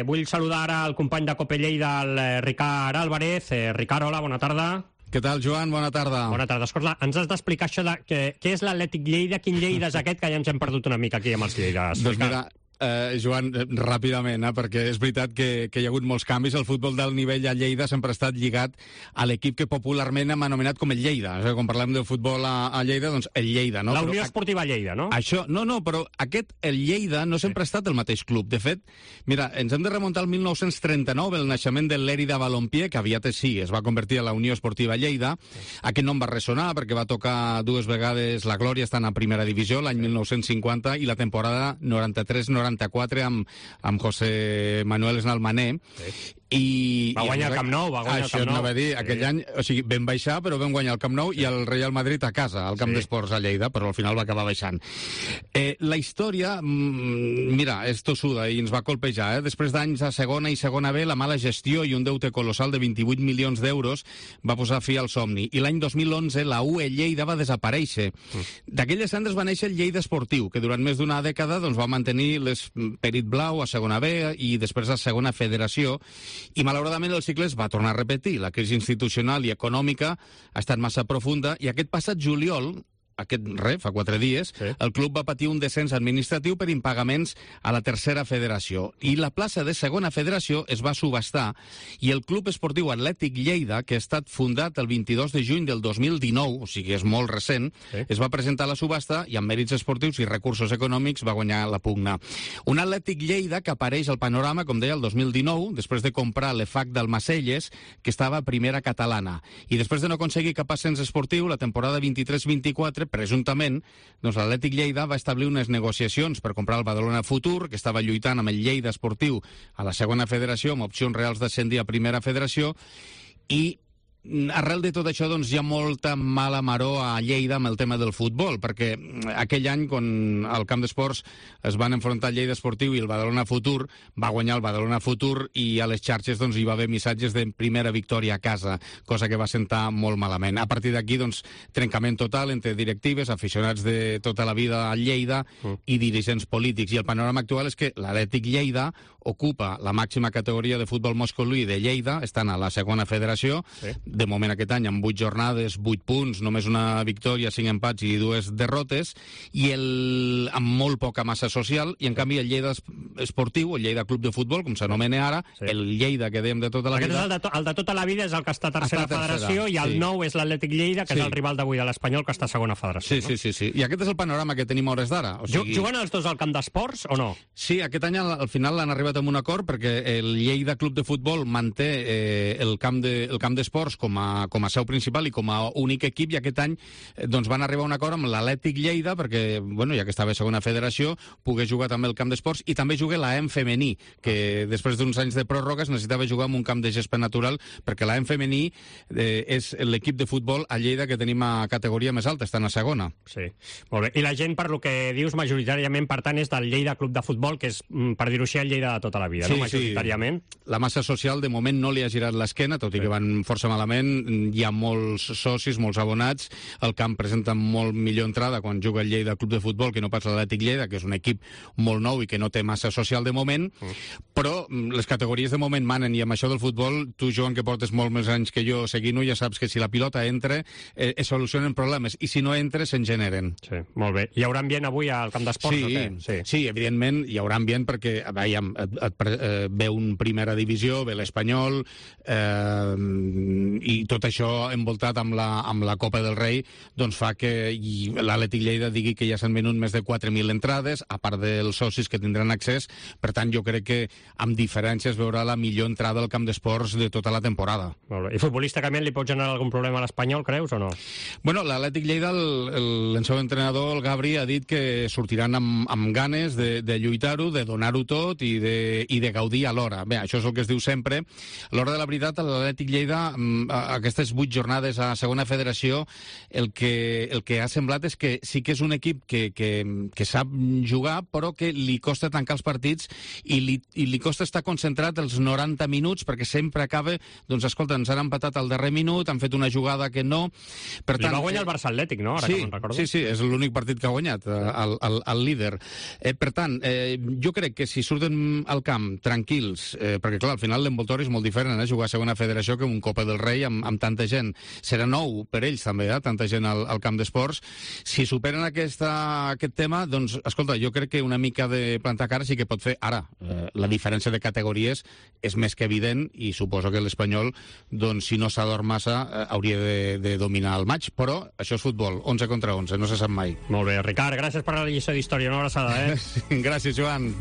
S3: Vull saludar ara el company de Cope Lleida, el Ricard Álvarez. Ricard, hola, bona tarda.
S24: Què tal, Joan? Bona tarda.
S3: Bona tarda. Escolta, ens has d'explicar això de què és l'Atlètic Lleida, quin Lleida és aquest, que ja ens hem perdut una mica aquí amb els Lleides.
S24: Doncs mira, Joan, ràpidament, perquè és veritat que hi ha hagut molts canvis. El futbol del nivell a Lleida sempre ha estat lligat a l'equip que popularment hem anomenat com el Lleida. O sigui, quan parlem del futbol a Lleida, doncs el Lleida, no?
S3: La Unió Esportiva Lleida, no?
S24: Això, no, però el Lleida no sempre ha estat el mateix club. De fet, mira, ens hem de remuntar al 1939, el naixement del Lérida Balompié, que aviat es va convertir en la Unió Esportiva Lleida. Aquest nom va ressonar perquè va tocar 2 vegades la glòria estant a primera divisió, l'any 1950 i la temporada 93-94 amb José Manuel Snalmané.
S3: I va guanyar el Camp Nou,
S24: Això anava a dir, aquell any, o sigui, vam baixar, però vam guanyar el Camp Nou i el Real Madrid a casa, al Camp d'Esports a Lleida, però al final va acabar baixant. La història, mira, és tossuda i ens va colpejar. Després d'anys a segona i segona B, la mala gestió i un deute colossal de 28 milions d'euros va posar fi al somni. I l'any 2011 la UE Lleida va desaparèixer. D'aquelles cendres va néixer el Lleida Esportiu, que durant més d'una dècada va mantenir l'esperit blau a segona B i després a segona federació. I malauradament el cicle es va tornar a repetir. La crisi institucional i econòmica ha estat massa profunda i aquest passat juliol, fa 4 dies, el club va patir un descens administratiu per impagaments a la tercera federació. I la plaça de segona federació es va subhastar i el Club Esportiu Atlètic Lleida, que ha estat fundat el 22 de juny del 2019, o sigui, és molt recent, es va presentar a la subhasta i amb mèrits esportius i recursos econòmics va guanyar la pugna. Un Atlètic Lleida que apareix al panorama, com deia, el 2019, després de comprar l'EFAC d'Almacelles, que estava a primera catalana. I després de no aconseguir cap ascens esportiu, la temporada 23-24, presumptament, doncs l'Atlètic Lleida va establir unes negociacions per comprar el Badalona Futur, que estava lluitant amb el Lleida Esportiu a la segona federació, amb opcions reals d'ascendir a primera federació, i arrel de tot això doncs, hi ha molta mala maror a Lleida amb el tema del futbol, perquè aquell any, quan al camp d'esports es van enfrontar el Lleida Esportiu i el Badalona Futur, va guanyar el Badalona Futur i a les xarxes doncs, hi va haver missatges de primera victòria a casa, cosa que va sentar molt malament. A partir d'aquí, doncs, trencament total entre directives, aficionats de tota la vida a Lleida i dirigents polítics. I el panorama actual és que l'Atlètic Lleida ocupa la màxima categoria de futbol masculí de Lleida, estan a la segona federació, de moment aquest any amb 8 jornades, 8 punts, només una victòria, 5 empats i 2 derrotes, i amb molt poca massa social, i en canvi el Lleida Esportiu, el Lleida Club de Futbol, com s'anomena ara, el Lleida que dèiem de tota la vida...
S3: El de tota la vida és el que està a tercera federació, i el nou és l'Atlètic Lleida, que és el rival d'avui de l'Espanyol, que està a segona federació.
S24: Sí. I aquest és el panorama que tenim a hores d'ara.
S3: Juguen els dos al camp d'esports o no?
S24: Sí, aquest any al final l'han arribat amb un acord, perquè el Lleida Club de Futbol manté el camp d'esports com a seu principal i com a únic equip, i aquest any doncs, van arribar a un acord amb l'Atlètic Lleida perquè, bueno, ja que estava a segona federació, pogués jugar també el camp d'esports, i també juga l'AM femení, que després d'uns anys de pròrrogues necessitava jugar en un camp de gespa natural, perquè l'AM femení és l'equip de futbol a Lleida que tenim a categoria més alta, estan a segona.
S3: Sí, molt bé. I la gent, per lo que dius, majoritàriament, per tant, és del Lleida Club de Futbol, que és, per dir-ho així, el Lleida de tota la vida, no? Majoritàriament.
S24: La massa social, de moment, no li ha girat l'esquena, tot i que van força malament. Hi ha molts socis, molts abonats. El camp presenta molt millor entrada quan juga el Lleida Club de Futbol que no pas l'Atlètic Lleida, que és un equip molt nou i que no té massa social de moment, però les categories de moment manen, i amb això del futbol, tu, Joan, que portes molt més anys que jo seguint-ho, ja saps que si la pilota entra, es solucionen problemes, i si no entra, se'n generen.
S3: Sí, molt bé. Hi haurà ambient avui al camp d'esports o què?
S24: Sí, evidentment hi haurà ambient, perquè ve un primera divisió, ve l'Espanyol, i tot això envoltat amb la Copa del Rei, doncs fa que l'Atlètic Lleida digui que ja s'han venut més de 4.000 entrades, a part dels socis que tindran accés. Per tant, jo crec que amb diferències veurà la millor entrada al camp d'esports de tota la temporada.
S3: Molt bé. I futbolísticament li pot generar algun problema a l'Espanyol, creus, o no?
S24: Bueno, l'Atlètic Lleida, el seu entrenador, el Gabri, ha dit que sortiran amb ganes de lluitar-ho, de donar-ho tot i de gaudir alhora. Bé, això és el que es diu sempre. A l'hora de la veritat, l'Atlètic Lleida, aquestes 8 jornades a segona federació, el que ha semblat és que sí que és un equip que sap jugar, però que li costa tancar els partits i li costa estar concentrat els 90 minuts, perquè sempre acaba, doncs escolta, ens han empatat al darrer minut, han fet una jugada que no... Per tant,
S3: li va guanyar el Barça Atlètic, no? Ara que me'n recordo.
S24: Sí, és l'únic partit que ha guanyat, el líder. Per tant, jo crec que si surten al camp tranquils, perquè clar, al final l'envoltori és molt diferent, jugar a segona federació que un Copa del Rei amb tanta gent. Serà nou per ells també, tanta gent al camp d'esports. Si superen aquest tema, doncs, escolta, jo crec que una mica de plantar cara sí que pot fer. Ara, la diferència de categories és més que evident, i suposo que l'Espanyol, doncs, si no s'adorm massa, hauria de dominar el maig, però això és futbol, 11 contra 11, no se sap mai.
S3: Molt bé, Ricard, gràcies per la lliçó d'història, una abraçada,
S24: Gràcies, Joan.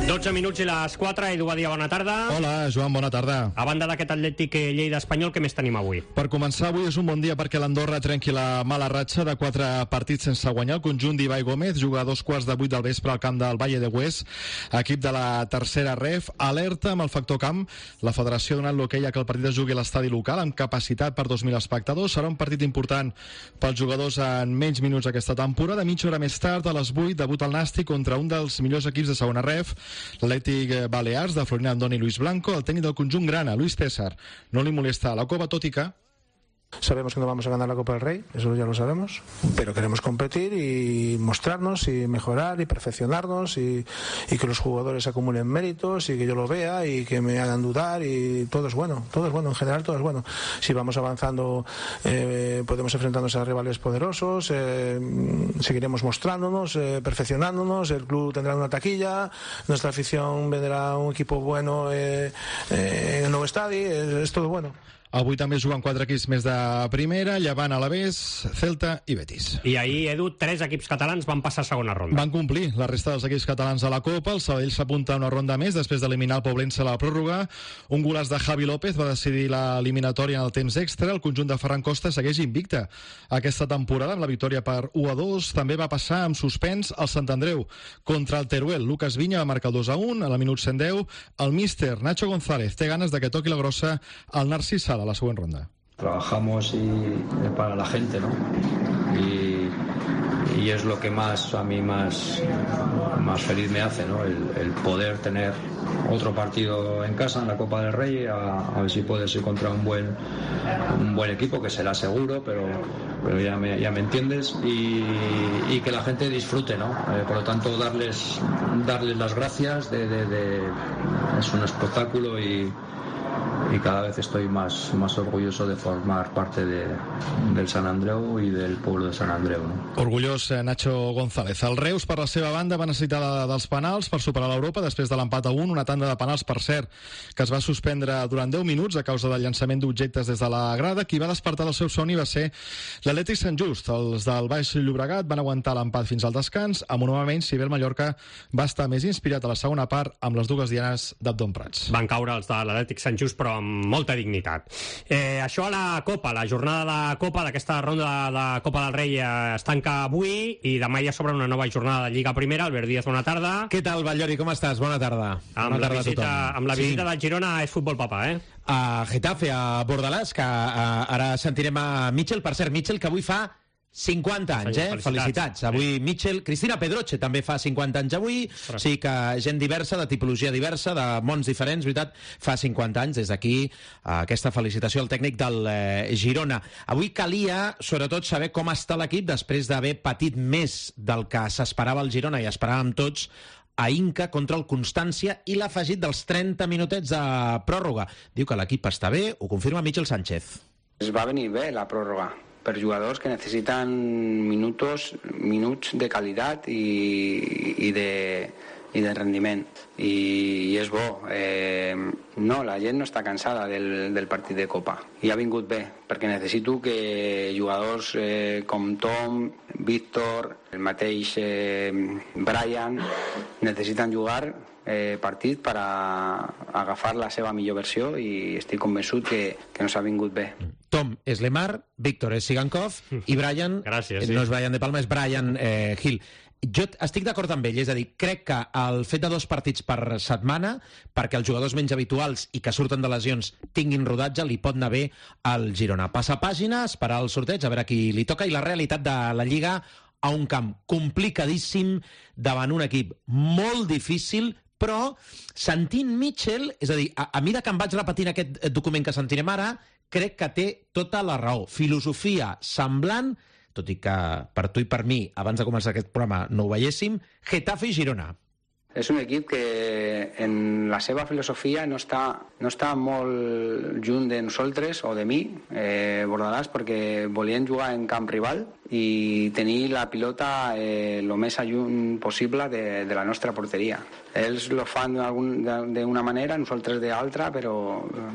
S3: 12 minuts i les 4, Edu Badia, bona tarda.
S2: Hola, Joan, bona tarda.
S3: A banda d'aquest Atlètic Lleida Espanyol, què més tenim avui?
S2: Per començar, avui és un bon dia perquè l'Andorra trenqui la mala ratxa de 4 partits sense guanyar. El conjunt d'Ibai Gómez juga a 2:15 del vespre al camp del Valle de Hues, equip de la tercera ref. Alerta amb el factor camp. La federació ha donat l'hoquei a que el partit es jugui a l'estadi local amb capacitat per 2.000 espectadors. Serà un partit important pels jugadors en menys minuts aquesta temporada. Mitja hora més tard, a les 8, debut al Nàstic contra un dels millors equips de segona ref, l'Atlètic Balears, de Florian Andoni i Luis Blanco. El tècnic del conjunt grana, Luis César, no li molesta a la Copa, tot i que
S6: sabemos que no vamos a ganar la Copa del Rey, eso ya lo sabemos, pero queremos competir y mostrarnos y mejorar y perfeccionarnos y que los jugadores acumulen méritos y que yo lo vea y que me hagan dudar, y todo es bueno, en general todo es bueno. Si vamos avanzando, podemos enfrentarnos a rivales poderosos, seguiremos mostrándonos, perfeccionándonos, el club tendrá una taquilla, nuestra afición vendrá un equipo bueno en el nuevo estadio, es todo bueno.
S2: Avui també juguen 4 equips més de primera, Llevant, Alavés, Celta i Betis.
S3: I ahir, Edu, 3 equips catalans van passar a segona ronda.
S2: Van complir la resta dels equips catalans de la Copa. El Sabadell s'apunta a una ronda més després d'eliminar el Poblense a la pròrroga. Un golaç de Javi López va decidir l'eliminatòria en el temps extra. El conjunt de Ferran Costa segueix invicte aquesta temporada amb la victòria per 1-2. També va passar amb suspens al Sant Andreu contra el Teruel. Lucas Viña va marcar el 2-1 a la minut 110. El míster Nacho González té ganes de que toqui la grossa al Narcís Sala a la següent ronda.
S9: Trabajamos para la gente, ¿no? Y es lo que más a mí más feliz me hace, ¿no? El poder tener otro partido en casa en la Copa del Rey, a ver si puede ser contra un buen equipo, que será seguro, pero ya me entiendes, y que la gente disfrute, ¿no? Por lo tanto, darles las gracias, es un espectáculo y cada vez estoy más orgulloso de formar parte del Sant Andreu i del poble de Sant Andreu. No?
S2: Orgullós Nacho González. El Reus, per la seva banda, va necessitar dels penals per superar l'Europa després de l'empat a 1, una tanda de penals, per cert, que es va suspendre durant 10 minuts a causa del llançament d'objectes des de la grada. Qui va despertar del seu somni va ser l'Atlètic Sant Just. Els del Baix Llobregat van aguantar l'empat fins al descans, amb un home menys, si bé el Mallorca va estar més inspirat a la segona part amb les dues dianes d'Abdon Prats.
S3: Van caure els de l'Atlètic Sant Just, però amb molta dignitat. Això a la Copa, la jornada de Copa, d'aquesta ronda de Copa del Rei es tanca avui i demà ja s'obre una nova jornada de Lliga Primera. Albert Díaz, bona tarda.
S10: Què tal, Batllori, com estàs? Bona tarda.
S3: Amb la visita del Girona és futbol papa,
S10: A Getafe, a Bordalàs, que ara sentirem a Mitchell. Per cert, Mitchell, que avui fa 50 anys, Felicitats. Avui Mitchell, Cristina Pedroche també fa 50 anys avui, o sigui que gent diversa, de tipologia diversa, de mons diferents, veritat, fa 50 anys. Des d'aquí aquesta felicitació al tècnic del Girona. Avui calia, sobretot, saber com està l'equip després d'haver patit més del que s'esperava el Girona i esperàvem tots a Inca contra el Constància i l'afegit dels 30 minutets de pròrroga. Diu que l'equip està bé, ho confirma Michel Sánchez.
S12: Es va venir bé la pròrroga per jugadors que necessiten minuts de qualitat i de rendiment, i és bo. No, la gent no està cansada del partit de Copa i ha vingut bé, perquè necessito que jugadors com Tom, Víctor, el mateix Brian necessiten jugar partit per agafar la seva millor versió, i estic convençut que nos ha vingut bé.
S10: Tom és Lemar, Víctor és Sigankov i Brian, no és Brian de Palma, és Brian Hill. Jo estic d'acord amb ell, és a dir, crec que el fet de 2 partits per setmana, perquè els jugadors menys habituals i que surten de lesions tinguin rodatge, li pot anar bé al Girona. Passa pàgina, esperar el sorteig, a veure qui li toca, i la realitat de la Lliga a un camp complicadíssim davant un equip molt difícil, però sentint Mitchell, és a dir, a mesura que em vaig repetint aquest document que sentirem ara, crec que té tota la raó. Filosofia semblant, tot i que per tu i per mi, abans de començar aquest programa, no ho veiéssim, Getafe i Girona.
S12: És un equip que en la seva filosofia no està molt lluny de nosaltres o de mi, Bordalàs, perquè volien jugar en camp rival i tenir la pilota el més lluny possible de la nostra porteria. Ells lo fan d'una manera, nosaltres d'altra, però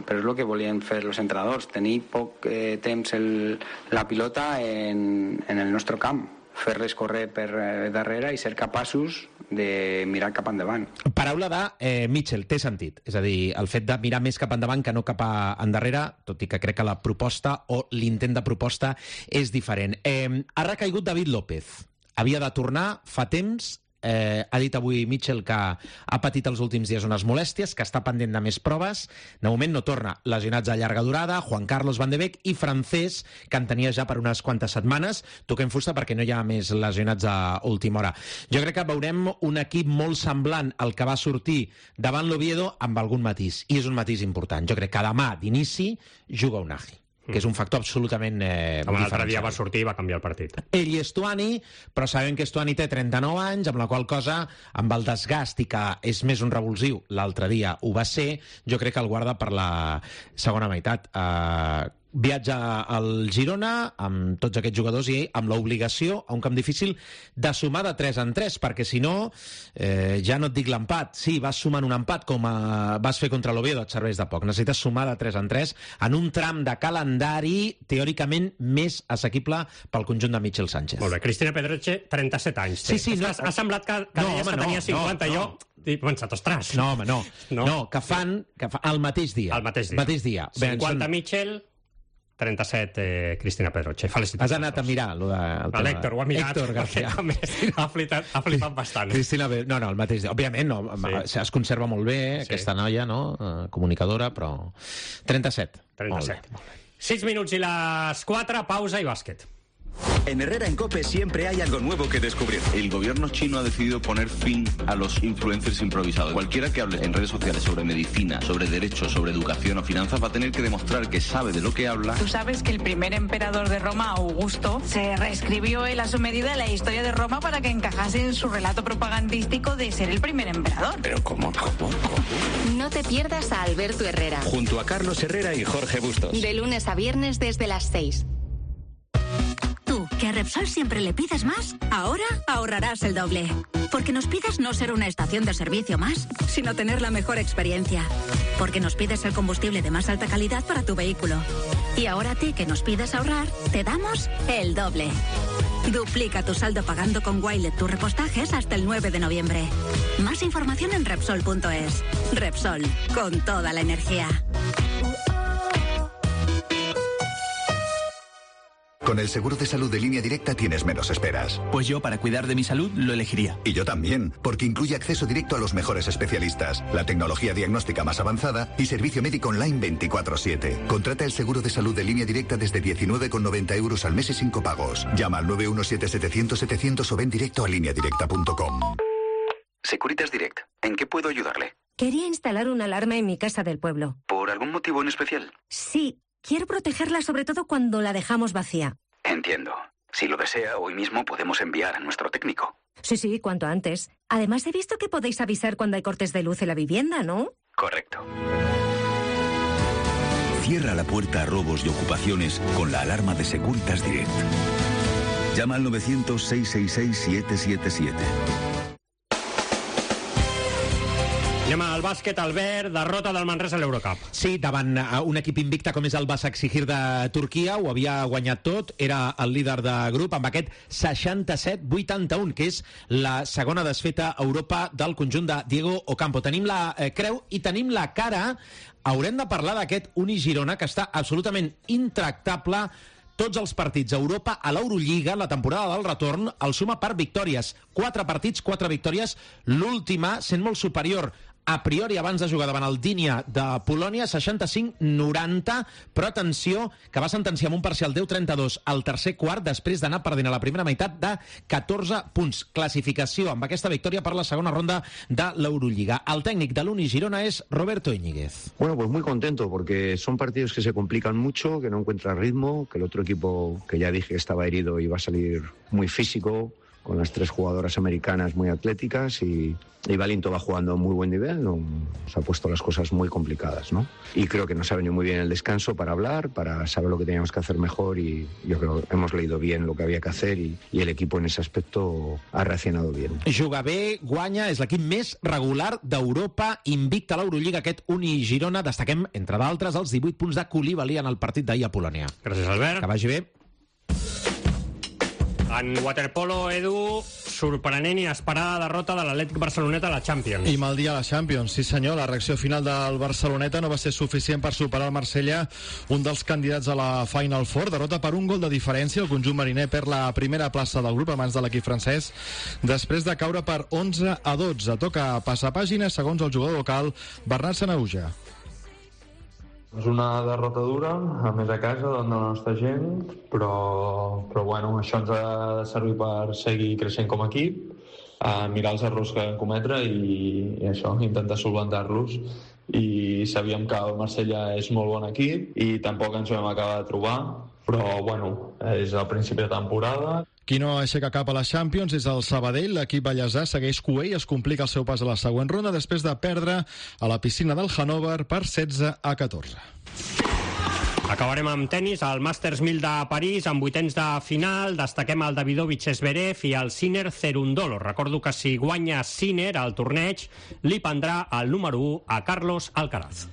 S12: és el que volien fer els entrenadors, tenir poc temps la pilota en el nostre camp, fer-les córrer per darrere i ser capaços de mirar cap endavant.
S10: Paraula de Mitchell, té sentit. És a dir, el fet de mirar més cap endavant que no cap endarrere, tot i que crec que la proposta o l'intent de proposta és diferent. Ha recaigut David López. Havia de tornar fa temps. Ha dit avui Mitchell que ha patit els últims dies unes molèsties, que està pendent de més proves. De moment no torna. Lesionats a llarga durada, Juan Carlos Van de Beek i Francés, que en tenia ja per unes quantes setmanes. Toquem fusta perquè no hi ha més lesionats a última hora. Jo crec que veurem un equip molt semblant al que va sortir davant l'Oviedo, amb algun matís. I és un matís important. Jo crec que demà d'inici juga Unai, que és un factor absolutament
S3: diferencial. L'altre dia va sortir i va canviar el partit.
S10: Ell i Estuani, però sabem que Estuani té 39 anys, amb la qual cosa, amb el desgast i que és més un revulsiu, l'altre dia ho va ser, jo crec que el guarda per la segona meitat. viatge al Girona amb tots aquests jugadors i amb l'obligació a un camp difícil de sumar de 3 en 3, perquè si no ja no et dic l'empat, sí, vas sumant un empat com vas fer contra l'Oviedo, et serveix de poc, necessites sumar de 3 en 3 en un tram de calendari teòricament més assequible pel conjunt de Michel Sánchez.
S3: Molt bé, Cristina Pedroche, 37 anys.
S10: Sí, no.
S3: Ha semblat que deies que tenia 50, jo he pensat, ostres.
S10: No, home, no, que fan el mateix dia.
S3: El mateix dia. 50 Michel, 37 Cristina Pedroche. Felicitacions.
S10: Has anat a mirar
S3: l'Héctor, ho ha mirat.
S10: Héctor García.
S3: Ha flipat bastant.
S10: Cristina Pedroche, no, el mateix dia. Òbviament, es conserva molt bé, aquesta noia, no? Comunicadora, però... 37.
S3: 6 minuts i les 4, pausa i bàsquet.
S8: En Herrera en COPE siempre hay algo nuevo que descubrir.
S13: El gobierno chino ha decidido poner fin a los influencers improvisados. Cualquiera que hable en redes sociales sobre medicina, sobre derechos, sobre educación o finanzas va a tener que demostrar que sabe de lo que habla.
S14: Tú sabes que el primer emperador de Roma, Augusto, se reescribió él a su medida la historia de Roma para que encajase en su relato propagandístico de ser el primer emperador.
S13: Pero ¿cómo?
S15: No te pierdas a Alberto Herrera.
S8: Junto a Carlos Herrera y Jorge Bustos.
S15: De lunes a viernes desde las 6.
S25: ¿Que a Repsol siempre le pides más? Ahora ahorrarás el doble. Porque nos pides no ser una estación de servicio más, sino tener la mejor experiencia. Porque nos pides el combustible de más alta calidad para tu vehículo. Y ahora a ti que nos pides ahorrar, te damos el doble. Duplica tu saldo pagando con Wilet tus repostajes hasta el 9 de noviembre. Más información en Repsol.es. Repsol, con toda la energía.
S26: Con el seguro de salud de Línea Directa tienes menos esperas.
S27: Pues yo, para cuidar de mi salud, lo elegiría.
S26: Y yo también, porque incluye acceso directo a los mejores especialistas, la tecnología diagnóstica más avanzada y servicio médico online 24/7. Contrata el seguro de salud de Línea Directa desde 19,90 € al mes y 5 pagos. Llama al 917-700-700 o ven directo a lineadirecta.com.
S27: Securitas Direct, ¿en qué puedo ayudarle?
S15: Quería instalar una alarma en mi casa del pueblo.
S27: ¿Por algún motivo en especial?
S15: Sí. Quiero protegerla sobre todo cuando la dejamos vacía.
S27: Entiendo. Si lo desea, hoy mismo podemos enviar a nuestro técnico.
S15: Sí, cuanto antes. Además, he visto que podéis avisar cuando hay cortes de luz en la vivienda, ¿no?
S27: Correcto.
S8: Cierra la puerta a robos y ocupaciones con la alarma de Securitas Direct. Llama al 900-666-777.
S3: Anem al bàsquet, Albert, derrota del Manresa a l'Eurocup.
S10: Sí, davant un equip invicte com és el Başakşehir de Turquia, ho havia guanyat tot, era el líder de grup amb aquest 67-81, que és la segona desfeta a Europa del conjunt de Diego Ocampo. Tenim la creu i tenim la cara. Haurem de parlar d'aquest Uni Girona, que està absolutament intractable. Tots els partits a Europa, a l'Eurolliga, la temporada del retorn, el suma per victòries. 4 partits, 4 victòries, l'última sent molt superior a priori abans de jugar davant el Dinia de Polònia, 65-90, però atenció, que va sentenciar amb un parcial 10-32 al tercer quart, després d'anar perdent a la primera meitat de 14 punts. Classificació amb aquesta victòria per la segona ronda de l'Eurolliga. El tècnic de l'Uni Girona és Roberto Íñiguez.
S28: Bueno, pues muy contento, porque son partidos que se complican mucho, que no encuentra ritmo, que el otro equipo, que ya dije que estaba herido, iba a salir muy físico, con las 3 jugadoras americanas muy atléticas y Valinto va jugando a muy buen nivel, nos ha puesto las cosas muy complicadas, ¿no? Y creo que nos ha venido muy bien el descanso para hablar, para saber lo que teníamos que hacer mejor y yo creo que hemos leído bien lo que había que hacer y el equipo en ese aspecto ha reaccionado bien.
S10: Juga bé, guanya, és l'equip més regular d'Europa, invicta a l'Eurolliga aquest Uni Girona. Destaquem, entre d'altres, els 18 punts de Koulibaly en el partit d'ahir a Polònia.
S3: Gràcies, Albert.
S10: Que vagi bé.
S3: En waterpolo, Edu, sorprenent i inesperada derrota de l'Atlètic Barceloneta a la Champions.
S2: I mal dia a la Champions, sí senyor. La reacció final del Barceloneta no va ser suficient per superar el Marsella, un dels candidats a la Final Four. Derrota per un gol de diferència. El conjunt mariner perd la primera plaça del grup a mans de l'equip francès, després de caure per 11-12. Toca passar pàgina, segons el jugador local Bernat Sanahuja.
S29: És una derrota dura, a més a casa, davant de la nostra gent, però bueno, això ens ha de servir per seguir creixent com a equip, mirar els errors que vam cometre i això, intentar solventar-los. I sabíem que el Marsella és molt bon equip i tampoc ens vam acabar de trobar, però bueno, és el principi de temporada.
S2: Qui no aixeca cap a les Champions és el Sabadell. L'equip ballesà segueix cuer i es complica el seu pas a la següent ronda després de perdre a la piscina del Hannover per 16-14.
S3: Acabarem amb tenis, el Masters 1000 de París, amb vuitens de final. Destaquem el Davidovich Zverev i el Sinner Cerundolo. Recordo que si guanya Sinner al torneig, li prendrà el número 1 a Carlos Alcaraz.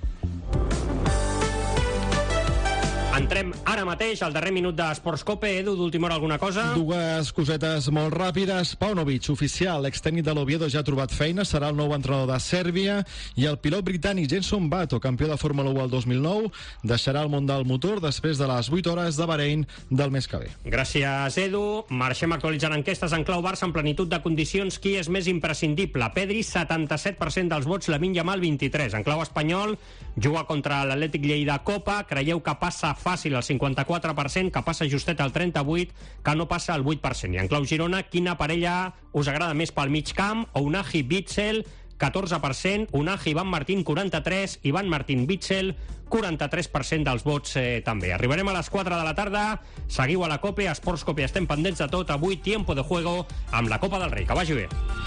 S3: Entrem ara mateix al darrer minut d'Esports Cope. Edu, d'última hora alguna cosa?
S2: Dues cosetes molt ràpides. Paunovic, oficial, extècnic de l'Oviedo, ja ha trobat feina, serà el nou entrenador de Sèrbia, i el pilot britànic Jenson Button, campió de Fórmula 1 el 2009, deixarà el món del motor després de les 8 hores de Bahrein del mes que ve.
S3: Gràcies, Edu. Marxem actualitzant enquestes en clau Barça en plenitud de condicions. Qui és més imprescindible? Pedri, 77% dels vots, Lamine Yamal, 23%. En clau espanyol, juga contra l'Atlètic Lleida Copa. Creieu que passa fàcil el 54%, que passa justet el 38%, que no passa el 8%. I en clau Girona, quina parella us agrada més pel mig camp? Ounahi Witsel, 14%, Ounahi Ivan Martín, 43%, Ivan Martín Witsel, 43% dels vots també. Arribarem a les 4 de la tarda, seguiu a la COPE, a Esports Cope, estem pendents de tot. Avui, tiempo de juego amb la Copa del Rei. Que vagi bé.